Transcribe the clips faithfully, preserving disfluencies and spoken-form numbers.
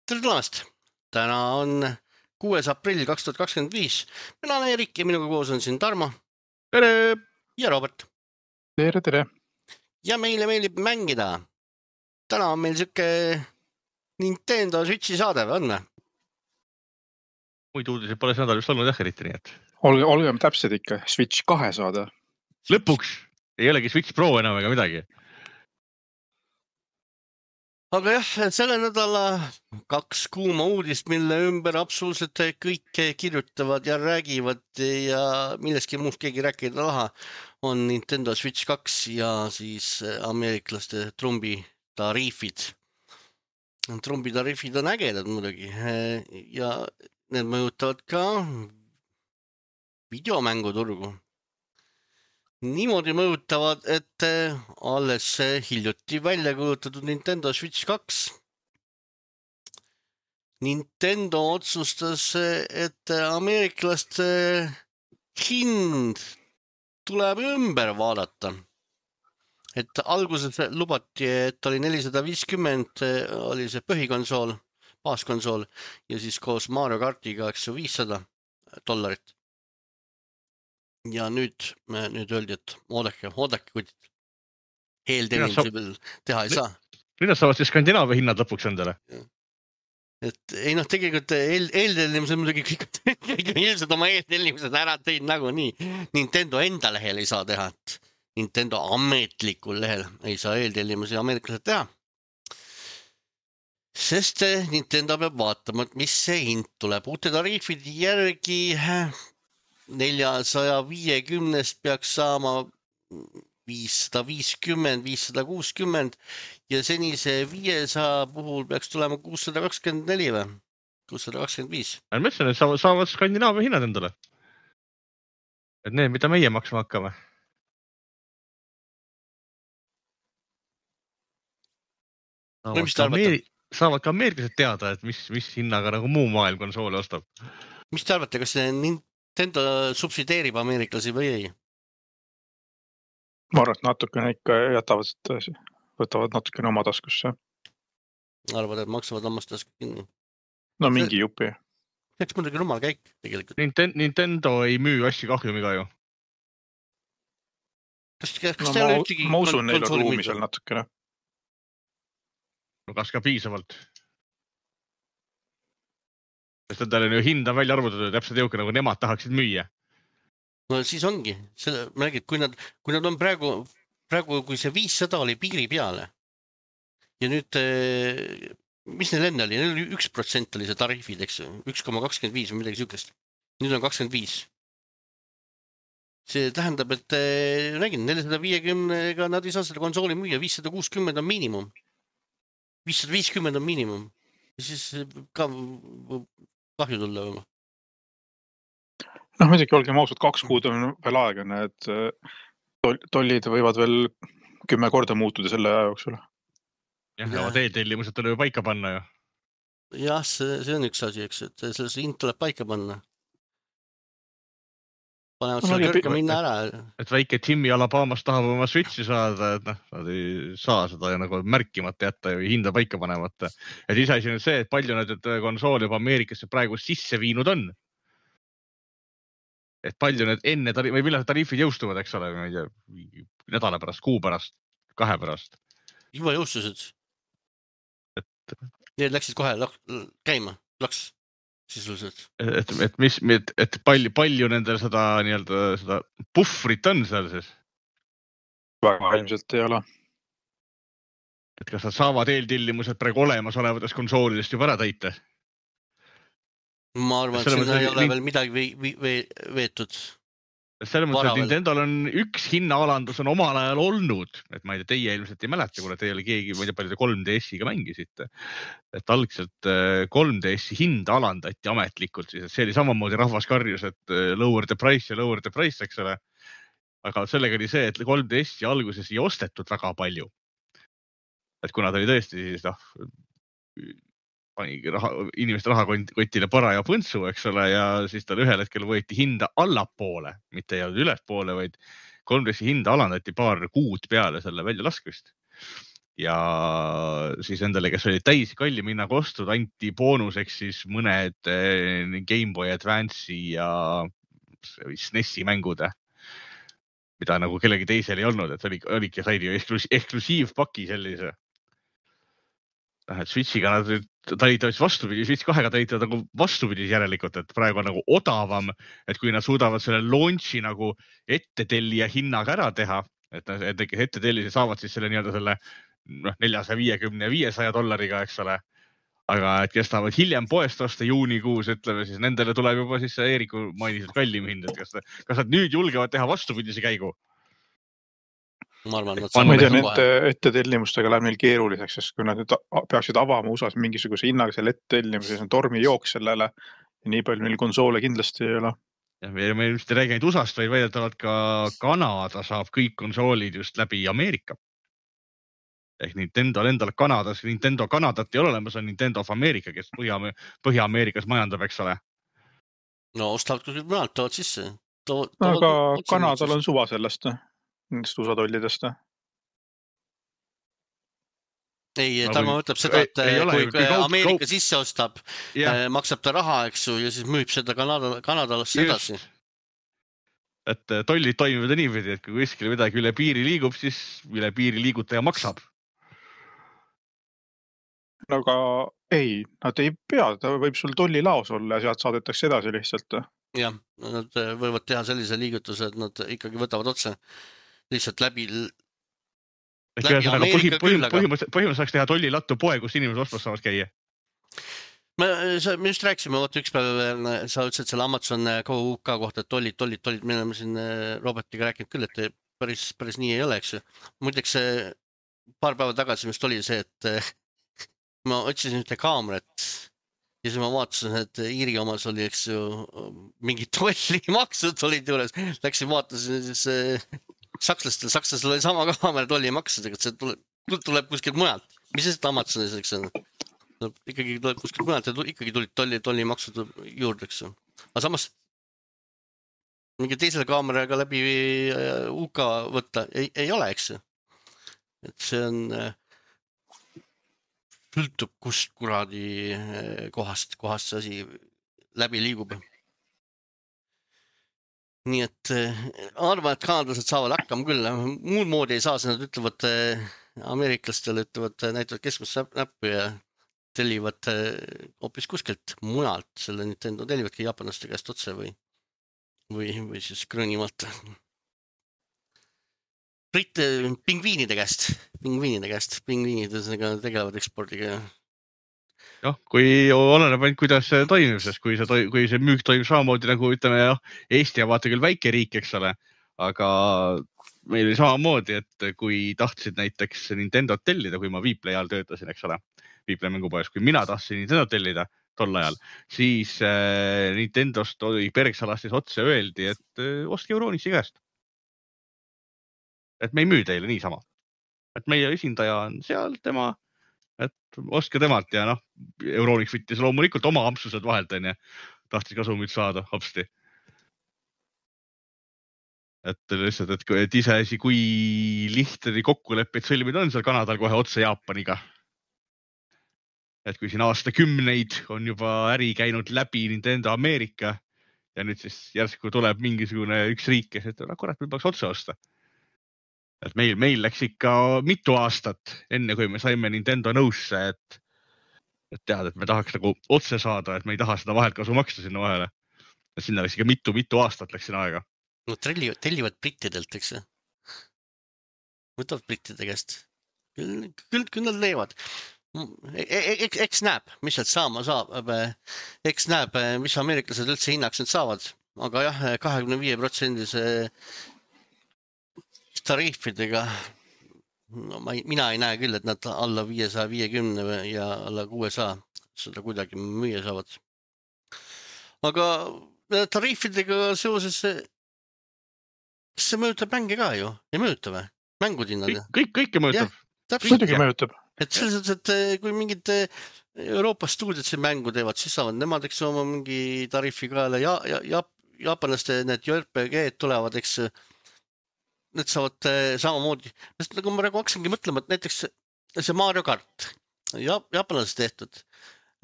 Tere tulemast! Täna on kuues aprill kaks tuhat kakskümmend viis. Mina olen Erik ja minuga koos on siin Tarmo. Tere! Ja Robert. Tere, tere! Ja meile meeldib mängida. Täna on meil siuke Nintendo Switchi saade, või on me? Muid uudiseid pole see nädal just olnud jah eriti, nii et... Olge, olgem täpsed ikka, Switch kahe saada. Lõpuks ei olegi Switch Pro enam ega midagi. Aga jah, selle nädala kaks kuuma uudist, mille ümber absoluutselt kõik kirjutavad ja räägivad ja milleski muust keegi rääkida laha, on Nintendo Switch kaks ja siis ameeriklaste trumbitariifid. Trumbitariifid on ägedad muidugi ja need mõjutavad ka videomänguturgu. Niimoodi mõjutavad, et alles hiljuti välja kuulutatud Nintendo Switch kaks. Nintendo otsustas, et ameeriklaste hind tuleb ümber vaadata. Et alguses lubati, et oli nelisada viiskümmend, oli see põhikonsool, baaskonsool ja siis koos Mario Kartiga viissada dollarit. Ja nüüd, nüüd öeldi, et oodake, oodake, kui eeltellimusi veel teha ei saa. Mida saavad siis Skandinaavia hinnad lõpuks endale? Et ei noh, tegelikult eel, eeltellimused muidugi kõik ilmselt oma eeltellimused ära teid nagu nii. Nintendo enda lehel ei saa teha, et Nintendo ametlikul lehel ei saa eeltellimusi ameeriklased teha. Sest Nintendo peab vaatama, et mis see hind tuleb. Uute tariifid järgi neljasaja viiekümnest peaks saama viissada viiskümmend, viissada kuuskümmend ja senise viiesaja puhul peaks tulema kuussada kakskümmend neli või? kuussada kakskümmend viis. Ma mõtlen, et saavad, saavad Skandinaavia hinnad endale. Et need, mida meie maksma hakkame. No, mis te arvate? Saavad ka ameeriklased teada, et mis, mis hinnaga nagu muu maailm konsooli ostab. Mis te arvate, kas Nintendo subsideerib ameeriklasi või ei? Ma arvan, et natukene ikka jätavad, võtavad natukene oma taskusse. Arvad, et maksavad omast tasku kinni? No mingi jupi. Eks muidugi rumal käik tegelikult. Nintendo ei müü asju kahjumiga ju. Kas, kas no, te ma, ole ühtegi ma usun, neil on ruumi seal natukene. No kas ka piisavalt? Sest endale ju hinda välja arvutatud täpselt jõuke, nagu nemad tahaksid müüa. No siis ongi. Selle, ma räägin, kui nad, kui nad on praegu, praegu, kui see viissada oli piiri peale ja nüüd, mis neil enne oli? Neil oli üks protsent oli see tariifid, eks üks koma kakskümmend viis või midagi sükest. Nüüd on kakskümmend viis. See tähendab, et räägin, nelisada viiekümnega nad ei saa seda konsooli müüa, viissada kuuskümmend on miinimum. viissada viiskümmend on miinimum. Ja siis ka kahju tulla või? Noh, muidugi olgem ausad, kaks kuud on veel aega, need tollid võivad veel kümme korda muutuda selle aja jooksul. Jah, ja teetellimused tuleb ju paika panna ju. Jah, see, see on üks asi, eks, et selles hind tuleb paika panna. Panevad no, selle kõrge minna ära. Et väike Timmy Alabamas tahab oma Switchi saada, et noh, nad ei saa seda ja nagu märkimata jätta ja hinda paika panemata. Et ise asi on see, et palju nad konsooli juba Ameerikasse praegu sisse viinud on. Et palju need enne tariif, või millal tariifid jõustuvad, eks ole, ma ei tea, nädala pärast, kuu pärast, kahe pärast. Juba jõustused. Et... Need läksid kohe käima, laks sisuliselt. Et, et, mis, et, et palju, palju nendel seda, nii-öelda, seda puhvrit on seal siis? Väga ilmselt ei ole. Et kas nad saavad eeltillimused praegu olemas olevatest konsoolidest juba ära täita? Ma arvan, et sinna ei ole veel midagi või, või, või veetud. Selles mõttes, et Nintendol on üks hinnaalandus on omal ajal olnud, et ma ei tea, teie ilmselt ei mäleta, kuna teie oli keegi, ma ei tea, palju te kolm D S-iga mängisite. Et algselt kolm D S-i hinda alandati ametlikult, siis see oli samamoodi rahvas karjus, et lower the price ja lower the price, eks ole. Aga sellega oli see, et kolm D S-i alguses ei ostetud väga palju. Et kuna ta oli tõesti siis, noh, panigi raha, inimeste rahakotile para ja põntsu, eks ole, ja siis tal ühel hetkel võeti hinda allapoole, mitte ei olnud ülespoole, vaid kolm D S-i hinda alandati paar kuud peale selle välja laskvist. ja siis nendele, kes olid täis kallim hinnaga ostud, anti boonuseks siis mõned Game Boy Advance'i ja S N E S-i mängud, mida nagu kellegi teisel ei olnud, et oli, oligi said ju eksklusiivpaki sellise. Et Switchiga nad talitavad vastupidi, Switch kahega talitavad nagu vastupidi järelikult, et praegu on nagu odavam, et kui nad suudavad selle launchi nagu ettetellija hinnaga ära teha, et, et ettetellise saavad siis selle nii-öelda selle noh, neljasaja viiekümne ja viiesaja dollariga, eks ole. Aga et kes tahavad hiljem poest osta juunikuus, ütleme siis nendele tuleb juba siis Eeriku mainiselt kallim hind, et kas, kas nad nüüd julgevad teha vastupidise käigu? Ma arvan, et ma ei tea, nende ettetellimustega läheb neil keeruliseks, sest kui nad nüüd peaksid avama U S A-s mingisuguse hinnaga selle ettetellimise, siis on tormi jooks sellele ja nii palju neil konsoole kindlasti ei ole. Ja me ei just ei räägi ainult U S A-st, vaid väidetavalt ka Kanada saab kõik konsoolid just läbi Ameerika. Ehk Nintendo endal Kanadas, Nintendo Kanadat ei ole olemas, on Nintendo of America, kes Põhja, Põhja-Ameerikas majandab, eks ole. No ostavad küll mõnelt tood sisse. To, to, aga Kanadal on suva sellest. Nendest U S A tollidest. Ei, Tarmo ütleb seda, et ei, ei ole, kui, kui Ameerika kaup... sisse ostab, yeah. maksab ta raha, eks ju, ja siis müüb seda Kanada, Kanadalasse edasi. Et tollid toimivad niipidi, et kui kuskil midagi üle piiri liigub, siis üle piiri liigutaja maksab. Aga ei, nad ei pea, ta võib sul tolli laos olla ja sealt saadetakse edasi lihtsalt. Jah, nad võivad teha sellise liigutuse, et nad ikkagi võtavad otse lihtsalt läbi, läbi Ameerika küll. Põhimõtteliselt saaks teha tolli lattu poe, kus inimesed ostmas saavad käia. Me, me just rääkisime, võtta üks päev, sa ütlesid selle Amazon Go U K kohta, et tollid, tollid, tollid, me oleme siin Robertiga rääkinud küll, et päris, päris nii ei ole, eks. Muideks paar päeva tagasi vist oli see, et ma otsisin ühte kaamerat ja siis ma vaatasin, et Iiri omas oli, eks ju, mingi tollimaksud olid juures. Läksin vaatasin siis sakslastel, sakslastel oli sama kaamera tollimaksudega, et see tuleb, tuleb kuskilt mujalt. Mis see Amazonis, eks on? Ikkagi tuleb kuskilt mujalt ja ikkagi tulid tolli, tollimaksud juurde, eks ju. Aga samas mingi teisele kaameraga läbi U K võtta ei, ei ole, eks ju. Et see on sõltub kust kuradi kohast, kohast see asi läbi liigub. Nii et arvan, et kanadlased saavad hakkama küll. Muud moodi ei saa, nad ütlevad ameeriklastele, ütlevad näitavad keskmist näppu ja tellivad hoopis kuskilt mujalt. Selle Nintendo tellivadki jaapanlaste käest otse või, või, või siis Gröönimaalt. Brit, pingviinide käest, pingviinide käest, pingviinid tegelevad ekspordiga. Jah, kui oleneb ainult, kuidas see toimib, sest kui see, kui see müük toimib samamoodi nagu ütleme, jah, Eesti ja vaata küll väike riik, eks ole, aga meil oli samamoodi, et kui tahtsid näiteks Nintendo tellida, kui ma Viiplay ajal töötasin, eks ole, Viiplay mängupoes, kui mina tahtsin Nintendo tellida tol ajal, siis äh, Nintendost oli Bergsalastis otse öeldi, et äh, ostke Euronixi käest. Et me ei müü teile niisama. Et meie esindaja on seal, tema, et ostke temalt ja noh, Euronix võttis loomulikult oma ampsused vahelt, on ja tahtis kasumit saada hopsti. Et lihtsalt, et, et iseasi, kui lihtne kokkuleppeid sõlmida on seal Kanadal kohe otse Jaapaniga. Et kui siin aastakümneid on juba äri käinud läbi Nintendo Ameerika ja nüüd siis järsku tuleb mingisugune üks riik, kes ütleb, kurat, me peaks otse osta. Et meil, meil läks ikka mitu aastat enne, kui me saime Nintendo nõusse, et, et tead, et me tahaks nagu otse saada, et me ei taha seda vahelt kasu maksta sinna vahele. Et sinna läks ikka mitu, mitu aastat läks sinna aega. No tellivad, tellivad brittidelt, eks? Võtavad brittide käest. Küll, küll, küll nad leivad. Eks, eks näeb, mis sealt saama saab. Eks näeb, mis ameeriklased üldse hinnaks nüüd saavad. Aga jah, kahekümne viie protsendise tariifidega, no ma ei, mina ei näe küll, et nad alla viiesaja viiekümne ja alla kuuesaja seda kuidagi müüa saavad. Aga tariifidega seoses kas see mõjutab mänge ka ju? Ei mõjuta või? Mängud hinnad? Kõik, kõike mõjutab. Muidugi mõjutab. Et selles, et kui mingid Euroopa stuudiod see mängu teevad, siis saavad nemad, eks oma mingi tariifi kaela ja, ja, ja jaapanlaste need J R P G tulevad, eks need saavad samamoodi. Nagu ma praegu hakkasingi mõtlema, et näiteks see Mario Kart, ja, jaapanlases tehtud.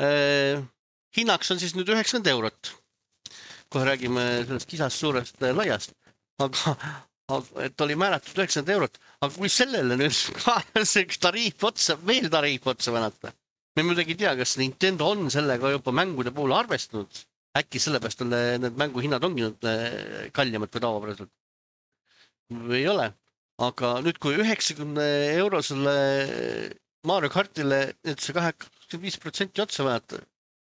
Eh, hinnaks on siis nüüd üheksakümmend eurot. Kohe räägime sellest kisast suurest laiast, aga, aga et oli määratud üheksakümmend eurot, aga kui sellele nüüd see tariif otsa, veel tariif otsa vänata, me muidugi ei tea, kas Nintendo on sellega juba mängude puhul arvestanud, äkki sellepärast on need mänguhinnad ongi nüüd kallimad kui tavapäraselt või ei ole, aga nüüd kui üheksakümne eurosele Mario Kartile nüüd see kaheksakümmend viis protsenti otsa vajata,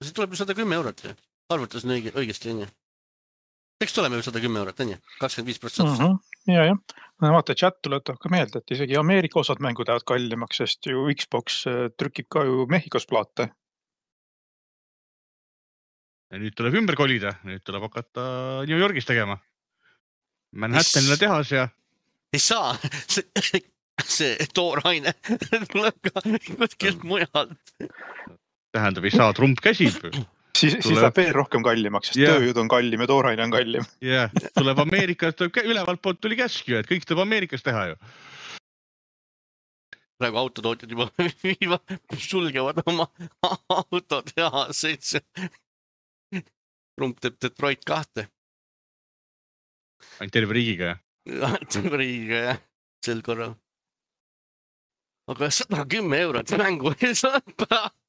see tuleb ju sada kümme eurot, arvutas on õige, õigesti, on ju? Eks tuleme ju sada kümme eurot, on ju? kakskümmend viis protsenti. Uh -huh. Ja, ja. Vaata, chat tuletab ka meelde, et isegi Ameerika osad mängud ajavad kallimaks, sest ju Xbox trükib ka ju Mehhikos plaate. Ja nüüd tuleb ümber kolida, nüüd tuleb hakata New Yorgis tegema. Manhattanile tehas ja... Ei saa, see, see tooraine tuleb ka kuskilt mujalt. Tähendab, ei saa, Trump käsib. Siis, tuleb... siis läheb veel rohkem kallimaks, sest yeah. tööjõud on kallim ja tooraine on kallim. Jah, yeah. tuleb Ameerikas, tuleb ülevalt poolt tuli käsk ju, et kõik tuleb Ameerikas teha ju. Praegu autotootjad juba sulgevad oma autotehaseid. Trump teeb Detroit kahte. Ainult terve riigiga, jah? Terve riigiga, jah, sel korral. Aga sada kümme eurot mängu ei saa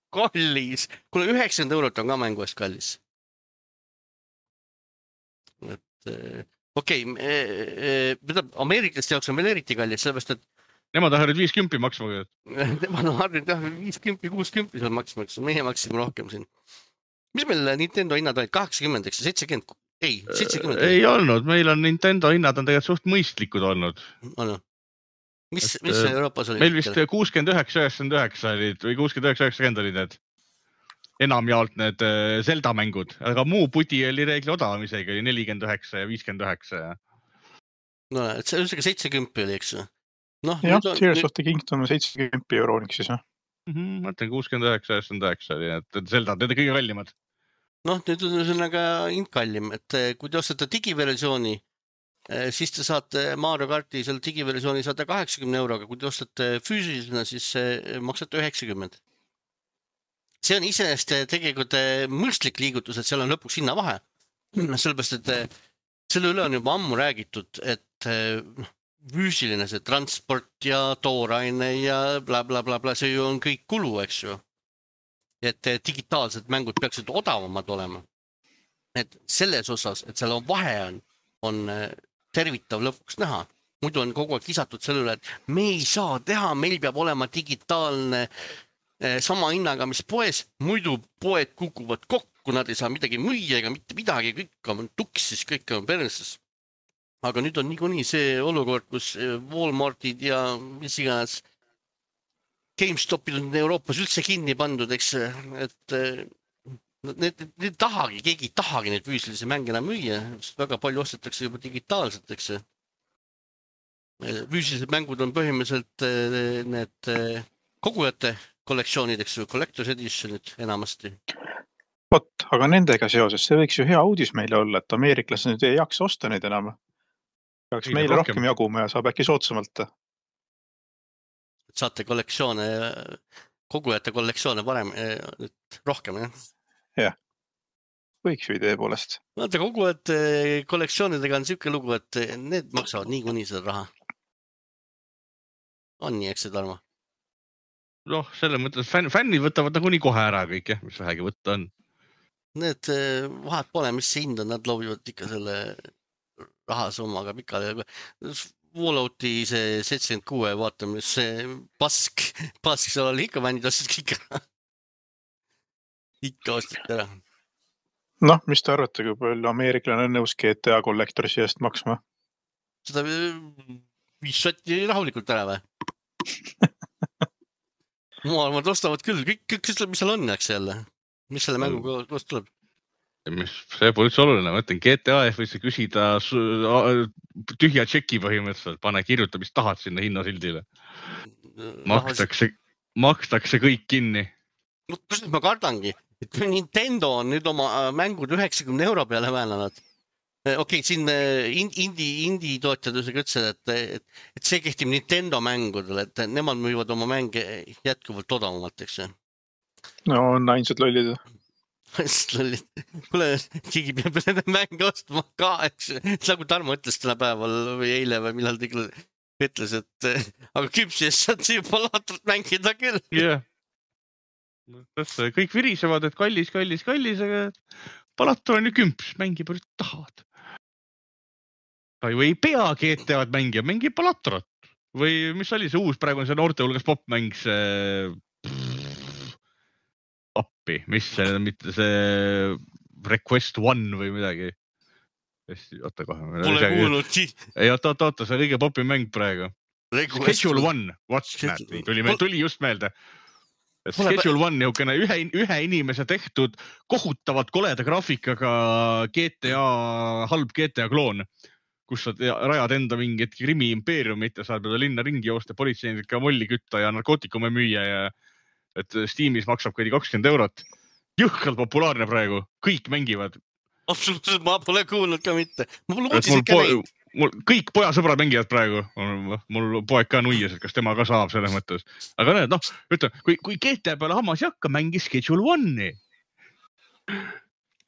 kallis. Kuule, üheksakümmend eurot on ka mängu eest kallis. Et, okei, okay, Ameeriklast jaoks on veel eriti kallis, sellepärast, et nemad on harjunud viis kümpi maksma. Nemad on harjunud viis kümpi, kuus kümpi seal maksma, meie maksime rohkem siin. Mis meil Nintendo hinnad olid? kaheksakümmend, eks seitsekümmend? Ei, seitsekümmend. Ei olnud, meil on Nintendo hinnad on tegelikult suht mõistlikud olnud. On. Mis, et, mis Euroopas oli? Meil vist kuuskümmend üheksa üheksakümmend üheksa olid või kuuskümmend üheksa üheksakümmend olid need enamjaolt need Zelda mängud, aga muu puti oli reegli odavam isegi, oli nelikümmend üheksa ja viiskümmend üheksa. No, et see on seitsekümmend oli, eks? No, jah, Tears of the Kingdom on seitsekümmend euroniks siis, jah? Mm-hmm, mõtlen kuuskümmend üheksa üheksakümmend üheksa oli, et Zelda, need on kõige kallimad. Noh, nüüd on sellega hind kallim, et kui te ostate digiversiooni, siis te saate Mario Karti selle digiversiooni saate kaheksakümne euroga, kui te ostate füüsilisena, siis maksate üheksakümmend. See on iseenesest tegelikult mõistlik liigutus, et seal on lõpuks hinna vahe. Sellepärast, et selle üle on juba ammu räägitud, et füüsiline see transport ja tooraine ja bla, bla, bla, bla, see ju on kõik kulu, eks ju. Et digitaalsed mängud peaksid odavamad olema. Et selles osas, et seal on vahe on, on tervitav lõpuks näha. Muidu on kogu aeg kisatud selle üle, et me ei saa teha, meil peab olema digitaalne sama hinnaga, mis poes, muidu poed kukuvad kokku, nad ei saa midagi müüa ega mitte midagi, kõik on tuksis, kõik on perses. Aga nüüd on niikuinii see olukord, kus Walmartid ja mis iganes GameStopid on Euroopas üldse kinni pandud, eks, et need, need tahagi, keegi tahagi neid füüsilisi mänge enam müüa, sest väga palju ostetakse juba digitaalselt, eks. Füüsilised mängud on põhimõtteliselt need kogujate kollektsioonid, eks, collector's editionid enamasti. Vot, aga nendega seoses, see võiks ju hea uudis meile olla, et ameeriklased nüüd ei jaksa osta neid enam. Peaks meile rohkem, rohkem jaguma ja saab äkki sootsamalt. Saate kollektsioone, kogujate kollektsioone parem, rohkem, jah? Jah, võiks ju idee poolest. Vaata, kogujate kollektsioonidega on siuke lugu, et need maksavad niikuinii seda raha. On nii, eks see Tarmo? Noh, selle mõttes fänn, fännid võtavad nagu nii kohe ära kõik, jah, mis vähegi võtta on. Need vahet pole, mis see hind on, nad loobivad ikka selle rahasummaga pikale. Fallouti see seitsekümmend kuus vaatame, see pask, pask seal oli ikka fännid ostid kõik ära. Ikka ostid ära. Noh, mis te arvate, kui palju ameeriklane on nõus G T A kollektorisi eest maksma? Seda viis sotti rahulikult ära või? Maailmad ostavad küll, kõik, kõik, mis seal on, eks jälle? Mis selle mänguga koos tuleb? Mis, see pole üldse oluline, ma ütlen, G T A võis küsida tühja tšeki põhimõtteliselt, pane kirjuta, mis tahad sinna hinnasildile. Makstakse, makstakse kõik kinni. No, kus ma kardangi, et Nintendo on nüüd oma mängud üheksakümne euro peale väänanud. okei, okay, siin indie, indie tootjadusega ütlesid, et, et, et see kehtib Nintendo mängudel, et nemad müüvad oma mänge jätkuvalt odavamalt, eks ju. No on ainsad lollid. Kuule, keegi peab nende mänge ostma ka, eks nagu Tarmo ütles täna päeval või eile või millal ta ütles, et aga küpsi eest saad siia palaatrat mängida küll. Jah. Yeah. Kõik virisevad, et kallis, kallis, kallis, aga palaator on ju kümps, mängi palju tahavad. Ta ju ei pea G T A-d mängija, mängi palaatorat. Või mis oli see uus, praegu on see noorte hulgas popmäng, see... appi, mis see, mitte see Request One või midagi. Oota kohe. Pole kuulnud. Ei, oota, oota, oota, see on õige popi mäng praegu. Schedule One, what's that? Tuli, tuli just meelde. Schedule One, niukene ühe, ühe inimese tehtud kohutavalt koleda graafikaga G T A, halb G T A kloon, kus sa rajad enda mingit krimi impeeriumit ja saad linna ringi joosta, politseinikega molli kütta ja narkootikume müüa ja et Steamis maksab kõigi kakskümmend eurot. Jõhkalt populaarne praegu. Kõik mängivad. Absoluutselt, ma pole kuulnud ka mitte. Mul uudis ikka po neid. Mul kõik pojasõbrad mängivad praegu. Mul poeg ka nuias, et kas tema ka saab selles mõttes. Aga näed, noh, ütleme, kui, kui G T A peale hammas ei hakka, mängi Schedule One'i.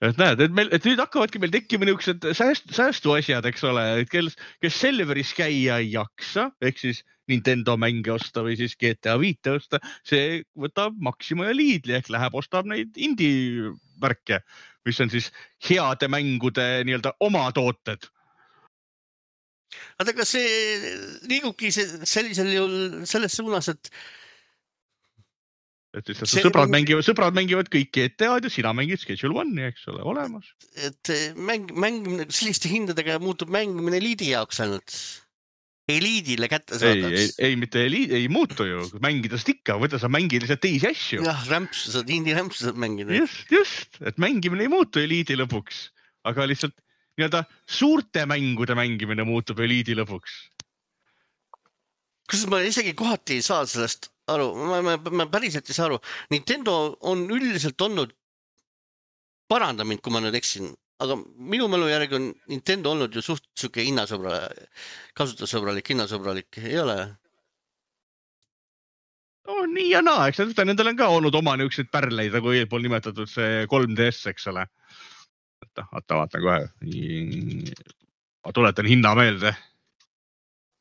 Et näed, et, meil, et nüüd hakkavadki meil tekkima niisugused säästu, säästu asjad, eks ole, et kes, kes Selveris käia ei jaksa, ehk siis Nintendo mänge osta või siis G T A viite osta, see võtab Maxima ja Lidli ehk läheb ostab neid indie värke, mis on siis heade mängude nii-öelda oma tooted. Aga see liigubki sellisel juhul selles suunas, et et see sõbrad, mäng... mängivad, sõbrad mängivad kõik G T A-d ja sina mängid Schedule One'i, eks ole, olemas. Et mäng, mängimine, selliste hindadega muutub mängimine Liidi jaoks ainult. Eliidile kätte saadaks. Ei, ei, ei, mitte eliid, ei muutu ju. Mängidast ikka, võtta sa mängid lihtsalt teisi asju. Jah, rämpsu saad, indie rämpsu saad mängida. Just, just, et mängimine ei muutu eliidi lõpuks, aga lihtsalt nii-öelda suurte mängude mängimine muutub eliidi lõpuks. Kus ma isegi kohati ei saa sellest aru, ma, ma, ma päriselt ei saa aru. Nintendo on üldiselt olnud, paranda mind, kui ma nüüd eksin, aga minu mälu järgi on Nintendo olnud ju suht suke hinnasõbra, kasutusõbralik, hinnasõbralik, ei ole? No nii ja naa, eks nendel on ka olnud oma niisugused pärleid, nagu eelpool nimetatud see kolm D S, eks ole. Vaata, vaatan kohe. Ma tuletan hinna meelde.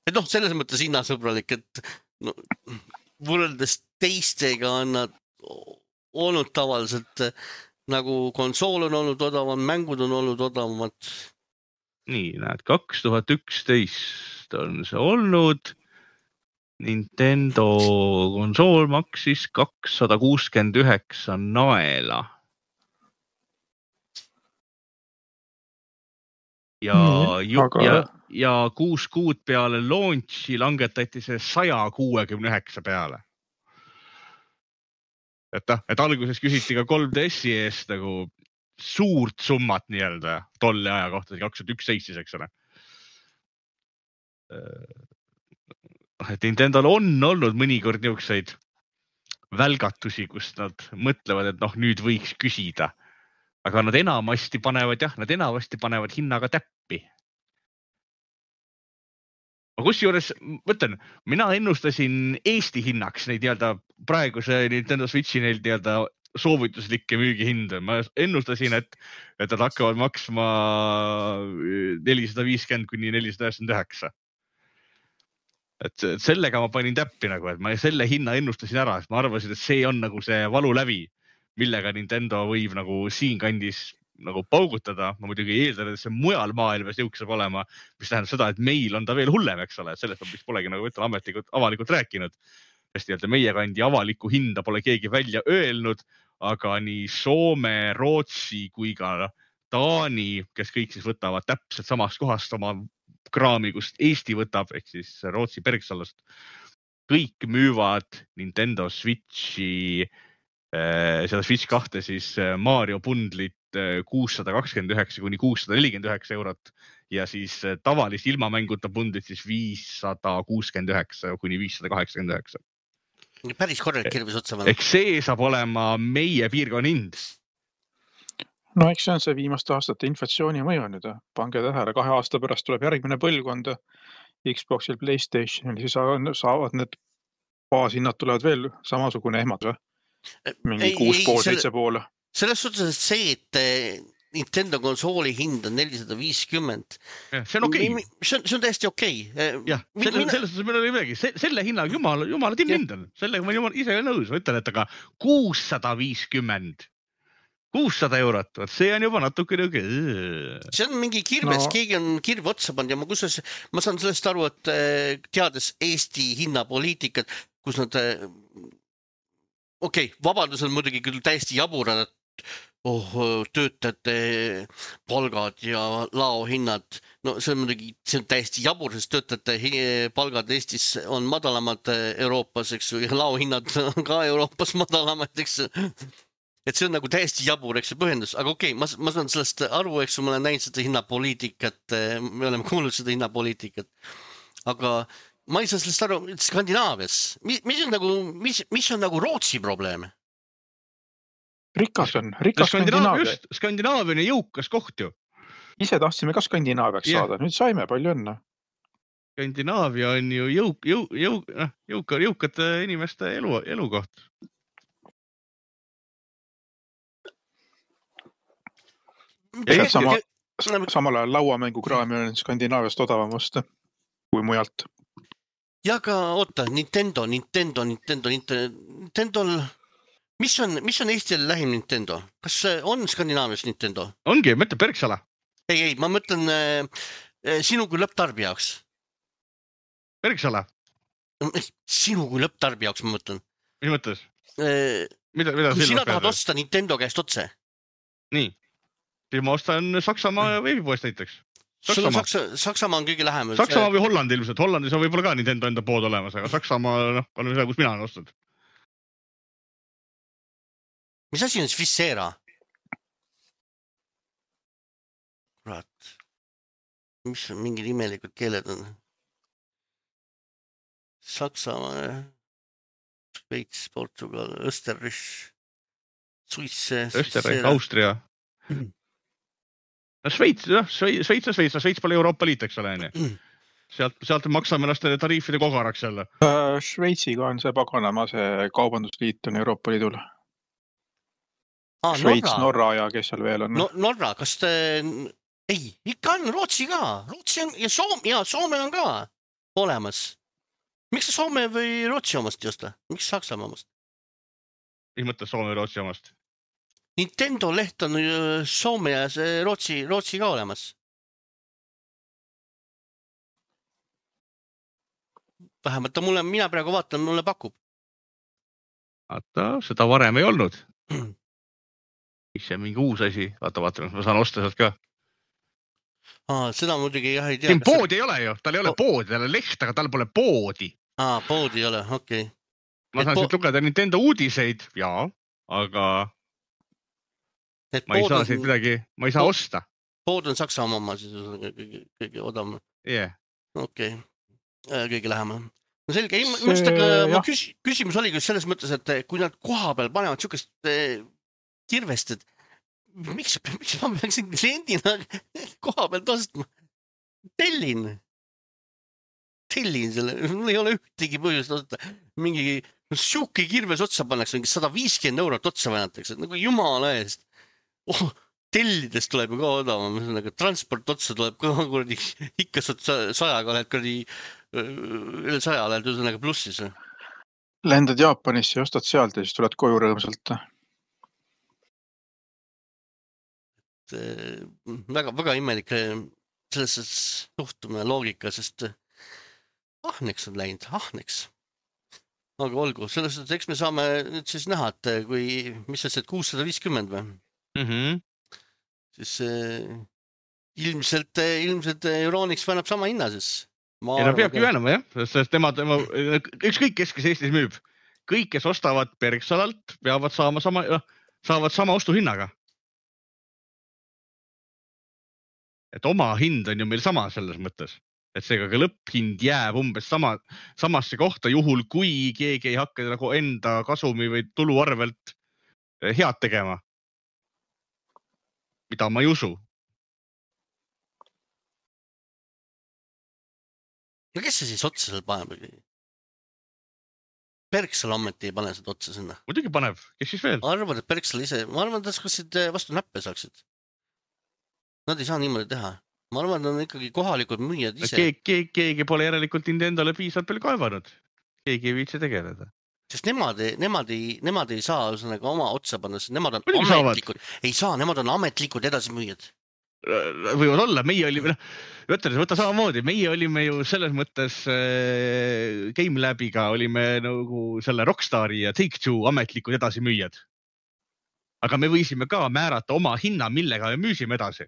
Et noh, selles mõttes hinnasõbralik, et no, võrreldes teistega on nad olnud tavaliselt nagu konsool on olnud odavam, mängud on olnud odavamad. Nii, näed, kaks tuhat üksteist on see olnud. Nintendo konsool maksis kakssada kuuskümmend üheksa naela. Ja, ju, aga... ja, ja kuus kuud peale launchi langetati see sada kuuskümmend üheksa peale. Et, et alguses küsiti ka kolm D S-i eest nagu suurt summat nii-öelda tolle aja kohta, kaks tuhat üksteist, eks ole. Et Nintendol on olnud mõnikord niisuguseid välgatusi, kus nad mõtlevad, et noh, nüüd võiks küsida. Aga nad enamasti panevad, jah, nad enamasti panevad hinnaga täppi. Ma kus juures, mõtlen, mina ennustasin Eesti hinnaks neid nii-öelda praeguse Nintendo Switchi neil nii-öelda soovituslikke müügihinde. Ma ennustasin, et, et nad hakkavad maksma nelisada viiskümmend kuni nelisada üheksakümmend üheksa. Et sellega ma panin täppi nagu, et ma selle hinna ennustasin ära, sest ma arvasin, et see on nagu see valu läbi, millega Nintendo võib nagu siin kandis nagu paugutada. Ma muidugi eeldan, et see mujal maailmas jõuks saab olema, mis tähendab seda, et meil on ta veel hullem, eks ole, et sellest on vist polegi nagu võtta ametlikult, avalikult rääkinud. Sest nii-öelda meie kandi avaliku hinda pole keegi välja öelnud, aga nii Soome, Rootsi kui ka Taani, kes kõik siis võtavad täpselt samast kohast oma kraami, kust Eesti võtab, ehk siis Rootsi Bergsalast. Kõik müüvad Nintendo Switchi, seda Switch kahte siis Mario bundlit kuussada kakskümmend üheksa kuni kuussada nelikümmend üheksa eurot ja siis tavalist ilmamänguta bundlit siis viissada kuuskümmend üheksa kuni viissada kaheksakümmend üheksa. Päris korralik kirvis otsa. Eks see saab olema meie piirkonna hind. no eks see on see viimaste aastate inflatsiooni mõju nüüd. Pange tähele, kahe aasta pärast tuleb järgmine põlvkond Xboxil, PlayStationil, siis saavad need baashinnad tulevad veel samasugune ehmatus. Mingi kuus pool, seitse pool. Selles suhtes, et see, et Nintendo konsooli hind on nelisada viiskümmend. See on okei. Okay. See on, see on täiesti okei. Okay. Jah, selle, mina... selles meil oli midagi. Se, selle hinnaga jumala, jumala timm-hind on. Sellega ma jumal, ise nõus. Ma ütlen, et aga kuussada viiskümmend. kuussada eurot. See on juba natuke niuke. See on mingi kirves. No. Keegi on kirve otsa pannud ja ma, kusas, ma saan sellest aru, et teades Eesti hinnapoliitikat, kus nad okei, okay, vabandus on muidugi küll täiesti jaburad, et oh, töötajate palgad ja laohinnad. No see on muidugi, see on täiesti jabur, sest töötajate palgad Eestis on madalamad Euroopas, eks ju, ja laohinnad on ka Euroopas madalamad, eks ju. Et see on nagu täiesti jabur, eks ju, põhjendus. Aga okei, okay, ma, ma saan sellest aru, eks ju, ma olen näinud seda hinnapoliitikat, me oleme kuulnud seda hinnapoliitikat. Aga ma ei saa sellest aru, Skandinaavias, mis, mis on nagu, mis, mis on nagu Rootsi probleeme? Rikas on, rikas Skandinaavia. Skandinaavia on jõukas koht ju. Ise tahtsime ka Skandinaaviaks yeah. saada, nüüd saime palju õnne. Skandinaavia on ju jõuk, jõuk, jõuk, jõuk, jõukate inimeste elu, elukoht. Ja sama, samal ajal lauamängukraami on Skandinaaviast odavamast kui mujalt. Ja ka oota, Nintendo, Nintendo, Nintendo, Nintendol... Mis on, mis on Eestile lähim Nintendo? Kas on Skandinaavias Nintendo? Ongi, mõtle Bergsala. Ei, ei, ma mõtlen äh, sinu kui lõpptarbi jaoks. Bergsala? Sinu kui lõpptarbi jaoks, ma mõtlen. Mis mõttes? Äh, mida, mida kui sina tahad osta Nintendo käest otse? Nii. Siis ma ostan Saksamaa ja veebipoest näiteks. Saksamaa. Saksa, Saksamaa on kõige lähem. Saksamaa või Hollandi ilmselt. Hollandis on võib-olla ka Nintendo enda pood olemas, aga Saksamaa noh, on see, kus mina olen ostnud. Mis asi on Sfissera? Kurat. Mis on mingid imelikud keeled on? Saksamaa, Šveits, Portugal, Österreich, Suisse. Österreich, Austria. No Šveits, jah, Šveits on Šveits, Šveits pole Euroopa Liit, eks ole. Sealt, sealt maksame ennast tariifide kogaraks jälle. Šveitsiga on see paganama, see kaubandusliit on Euroopa Liidul. Ah, Šveits, Norra. Norra ja kes seal veel on? No, Norra, kas te... Ei, ikka on Rootsi ka. Rootsi on... Ja Soome, ja Soome on ka olemas. Miks sa Soome või Rootsi omast ei osta? Miks Saksamaa omast? Mis mõttes Soome või Rootsi omast? Nintendo leht on Soome ja Rootsi, Rootsi ka olemas. Vähemalt mulle, mina praegu vaatan, mulle pakub. Vaata, seda varem ei olnud. Mis see mingi uus asi? Vaata, vaata, ma saan osta sealt ka. Aa, seda muidugi jah ei tea. Siin poodi ei ole ju, tal ei ole poodi, tal on leht, aga tal pole poodi. Aa, poodi ei ole, okei. Okay. Ma saan po... siit lugeda Nintendo uudiseid, jaa, aga et ma ei saa siit midagi, ma ei saa pood... osta. Pood on Saksamaa oma, siis on kõige, kõige odavam. Yeah. Okei, okay. Kõige lähema. No selge, ei, see... mõista, ma küs... küsimus oli küll selles mõttes, et kui nad koha peal panevad siukest kirvest, et miks, miks ma peaksin kliendina koha pealt ostma? Tellin. Tellin selle. Mul ei ole ühtegi põhjust osta. Mingi siuke kirves otsa pannakse, mingi sada viiskümmend eurot otsa vänatakse. Nagu jumala eest. Oh, tellidest tuleb ju ka odavam. Transport otsa tuleb ka kuradi. Ikka sajaga oled kuradi üle saja oled üsõnaga plussis. Lendad Jaapanisse ja ostad sealt ja siis tuled koju rõõmsalt. Väga, väga imelik selles suhtumine loogika, sest ahneks on läinud, ahneks. Aga olgu, selles, et eks me saame nüüd siis näha, et kui, mis see, et kuussada viiskümmend või? Mm-hmm. Siis äh, ilmselt, ilmselt Euronics vänab sama hinna siis. Ja ta peabki vänama, jah, sest tema, tema, ükskõik kes, kes Eestis müüb, kõik, kes ostavad Bergsalalt, peavad saama sama, saavad sama ostuhinnaga. Et oma hind on ju meil sama selles mõttes, et seega ka lõpphind jääb umbes sama, samasse kohta juhul, kui keegi ei hakka nagu enda kasumi või tulu arvelt head tegema. mida ma ei usu. No kes see siis otsa seal paneb? Berksal ammeti ei pane seda otsa sinna. Muidugi paneb, kes siis veel? Arvad, et Berksal ise, ma arvan, et kas vastu näppe saaksid. Nad ei saa niimoodi teha. Ma arvan, et on ikkagi kohalikud müüjad ise. Keegi, keegi, keegi pole järelikult Nintendole piisavalt palju kaevanud. Keegi ei viitsi tegeleda. Sest nemad, nemad, ei, nemad ei saa ühesõnaga oma otsa panna, sest nemad on Muidugi ametlikud. Saavad. Ei saa, nemad on ametlikud edasimüüjad. Võivad olla, meie olime, võtta, võtta samamoodi, meie olime ju selles mõttes äh, Game Labiga olime nagu selle Rockstari ja Take-Two ametlikud edasimüüjad. Aga me võisime ka määrata oma hinna, millega me müüsime edasi.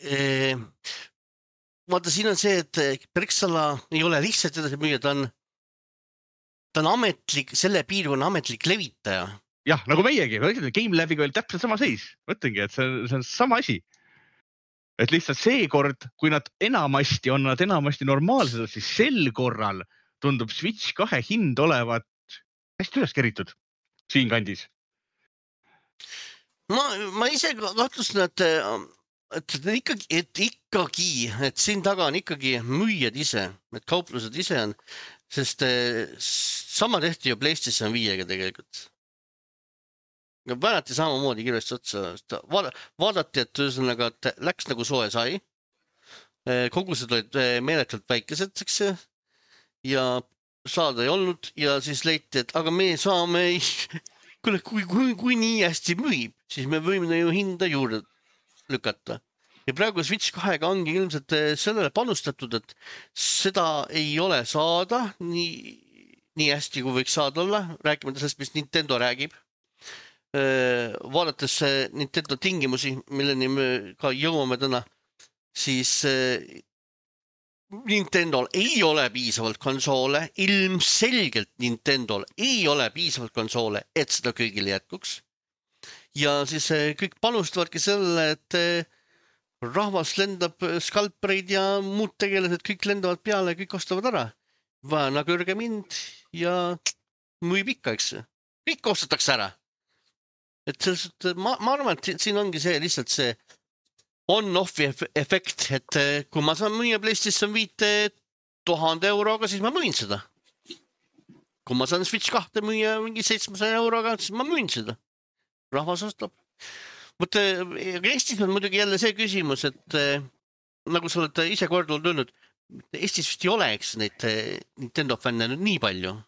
E, vaata, siin on see, et Berksala ei ole lihtsalt edasimüüja, ta on, ta on ametlik, selle piirkonna ametlik levitaja. Jah, nagu meiegi, Game Labiga oli täpselt sama seis. Mõtlengi, et see on, see on sama asi. Et lihtsalt see kord, kui nad enamasti on nad enamasti normaalsed, siis sel korral tundub Switch kahe hind olevat hästi üles keritud siin kandis. Ma, ma ise kahtlustan, et, et, ikkagi, et ikkagi, et siin taga on ikkagi müüjad ise, et kauplused ise on, sest sama tehti ju PlayStation viiega tegelikult. Väänati samamoodi kirjast otsa. Vaadati, et ühesõnaga, et läks nagu soe sai. Kogused olid meeletult väikesed, eks, ja saada ei olnud ja siis leiti, et aga me saame, kui, kui, kui, kui nii hästi müüb, siis me võime ju hinda juurde lükata. Ja praegu Switch kahega ongi ilmselt sellele panustatud, et seda ei ole saada nii, nii hästi, kui võiks saada olla, rääkimata sellest, mis Nintendo räägib. Vaadates Nintendo tingimusi, milleni me ka jõuame täna, siis Nintendol ei ole piisavalt konsoole, ilmselgelt Nintendol ei ole piisavalt konsoole, et seda kõigile jätkuks. Ja siis kõik panustavadki selle, et rahvas lendab skalpreid ja muud tegelased, kõik lendavad peale, kõik ostavad ära. Vaana kõrge mind ja müüb ikka, eks. Kõik ostetakse ära. Et sellest, ma, ma arvan, et siin ongi see lihtsalt see on-off efekt, et kui ma saan müüa PlayStation viite tuhande euroga, siis ma müün seda. Kui ma saan Switch kahte müüa mingi seitsmesaja euroga, siis ma müün seda. Rahvas ostab. Mutta Eestis on muidugi jälle see küsimus, et nagu sa oled ise korduvalt öelnud, Eestis vist ei oleks neid Nintendo fänne nüüd nii palju.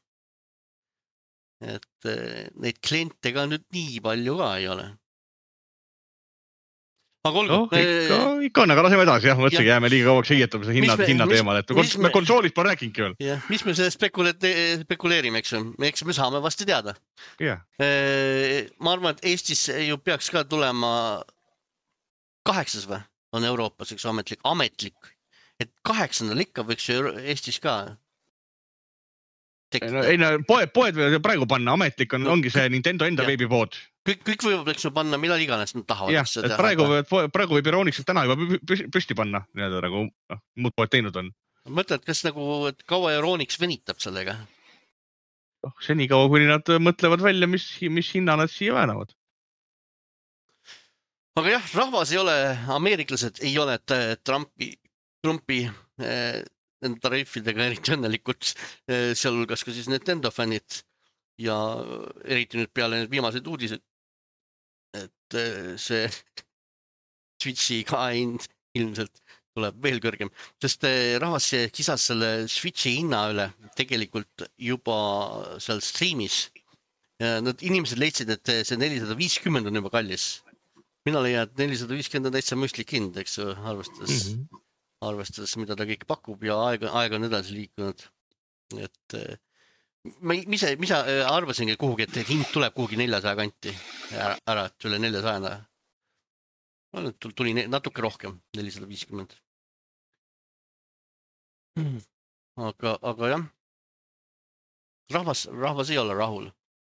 Et neid kliente ka nüüd nii palju ka ei ole. Aga olgu. No, ikka, ikka on, aga laseme edasi, jah, mõtlegi, jääme liiga kauaks heietama see hinna, hinna teemal, et me, me konsoolist pole rääkingi veel. Ja, mis me selle spekuleerime, eks, eks me saame vasti teada. Yeah. Ma arvan, et Eestis ju peaks ka tulema kaheksas või on Euroopas üks ametlik, ametlik, et kaheksandal ikka võiks ju Eestis ka No, ei, no, poed, poed võivad praegu panna, ametlik on, no, ongi see Nintendo enda veebipood. Kõik, kõik võivad eks panna millal iganes nad tahavad. Jah, et praegu, praegu võib Iroonix täna juba püsti panna, nii-öelda nagu no, muud poed teinud on. Mõtled, kas nagu, et kaua Iroonix venitab sellega? Oh, seni kaua, kuni nad mõtlevad välja, mis, mis hinna nad siia väänavad. Aga jah, rahvas ei ole, ameeriklased ei ole Trumpi, Trumpi eh, nende tariifidega eriti õnnelikult, sealhulgas ka siis Nintendo fännid ja eriti nüüd peale need viimased uudised, et see Switchi ka hind ilmselt tuleb veel kõrgem, sest rahvas kisas selle Switchi hinna üle tegelikult juba seal streamis. Nad inimesed leidsid, et see nelisada viiskümmend on juba kallis. Mina leian, et nelisada viiskümmend on täitsa mõistlik hind, eks arvestades. Mm-hmm. arvestades, mida ta kõik pakub ja aega, aega on edasi liikunud. Et ma ise, mis arvasingi kuhugi, et hind tuleb kuhugi neljasaja kanti ära, ära et üle neljasaja. Tuli natuke rohkem, nelisada viiskümmend. Aga, aga jah, rahvas, rahvas ei ole rahul.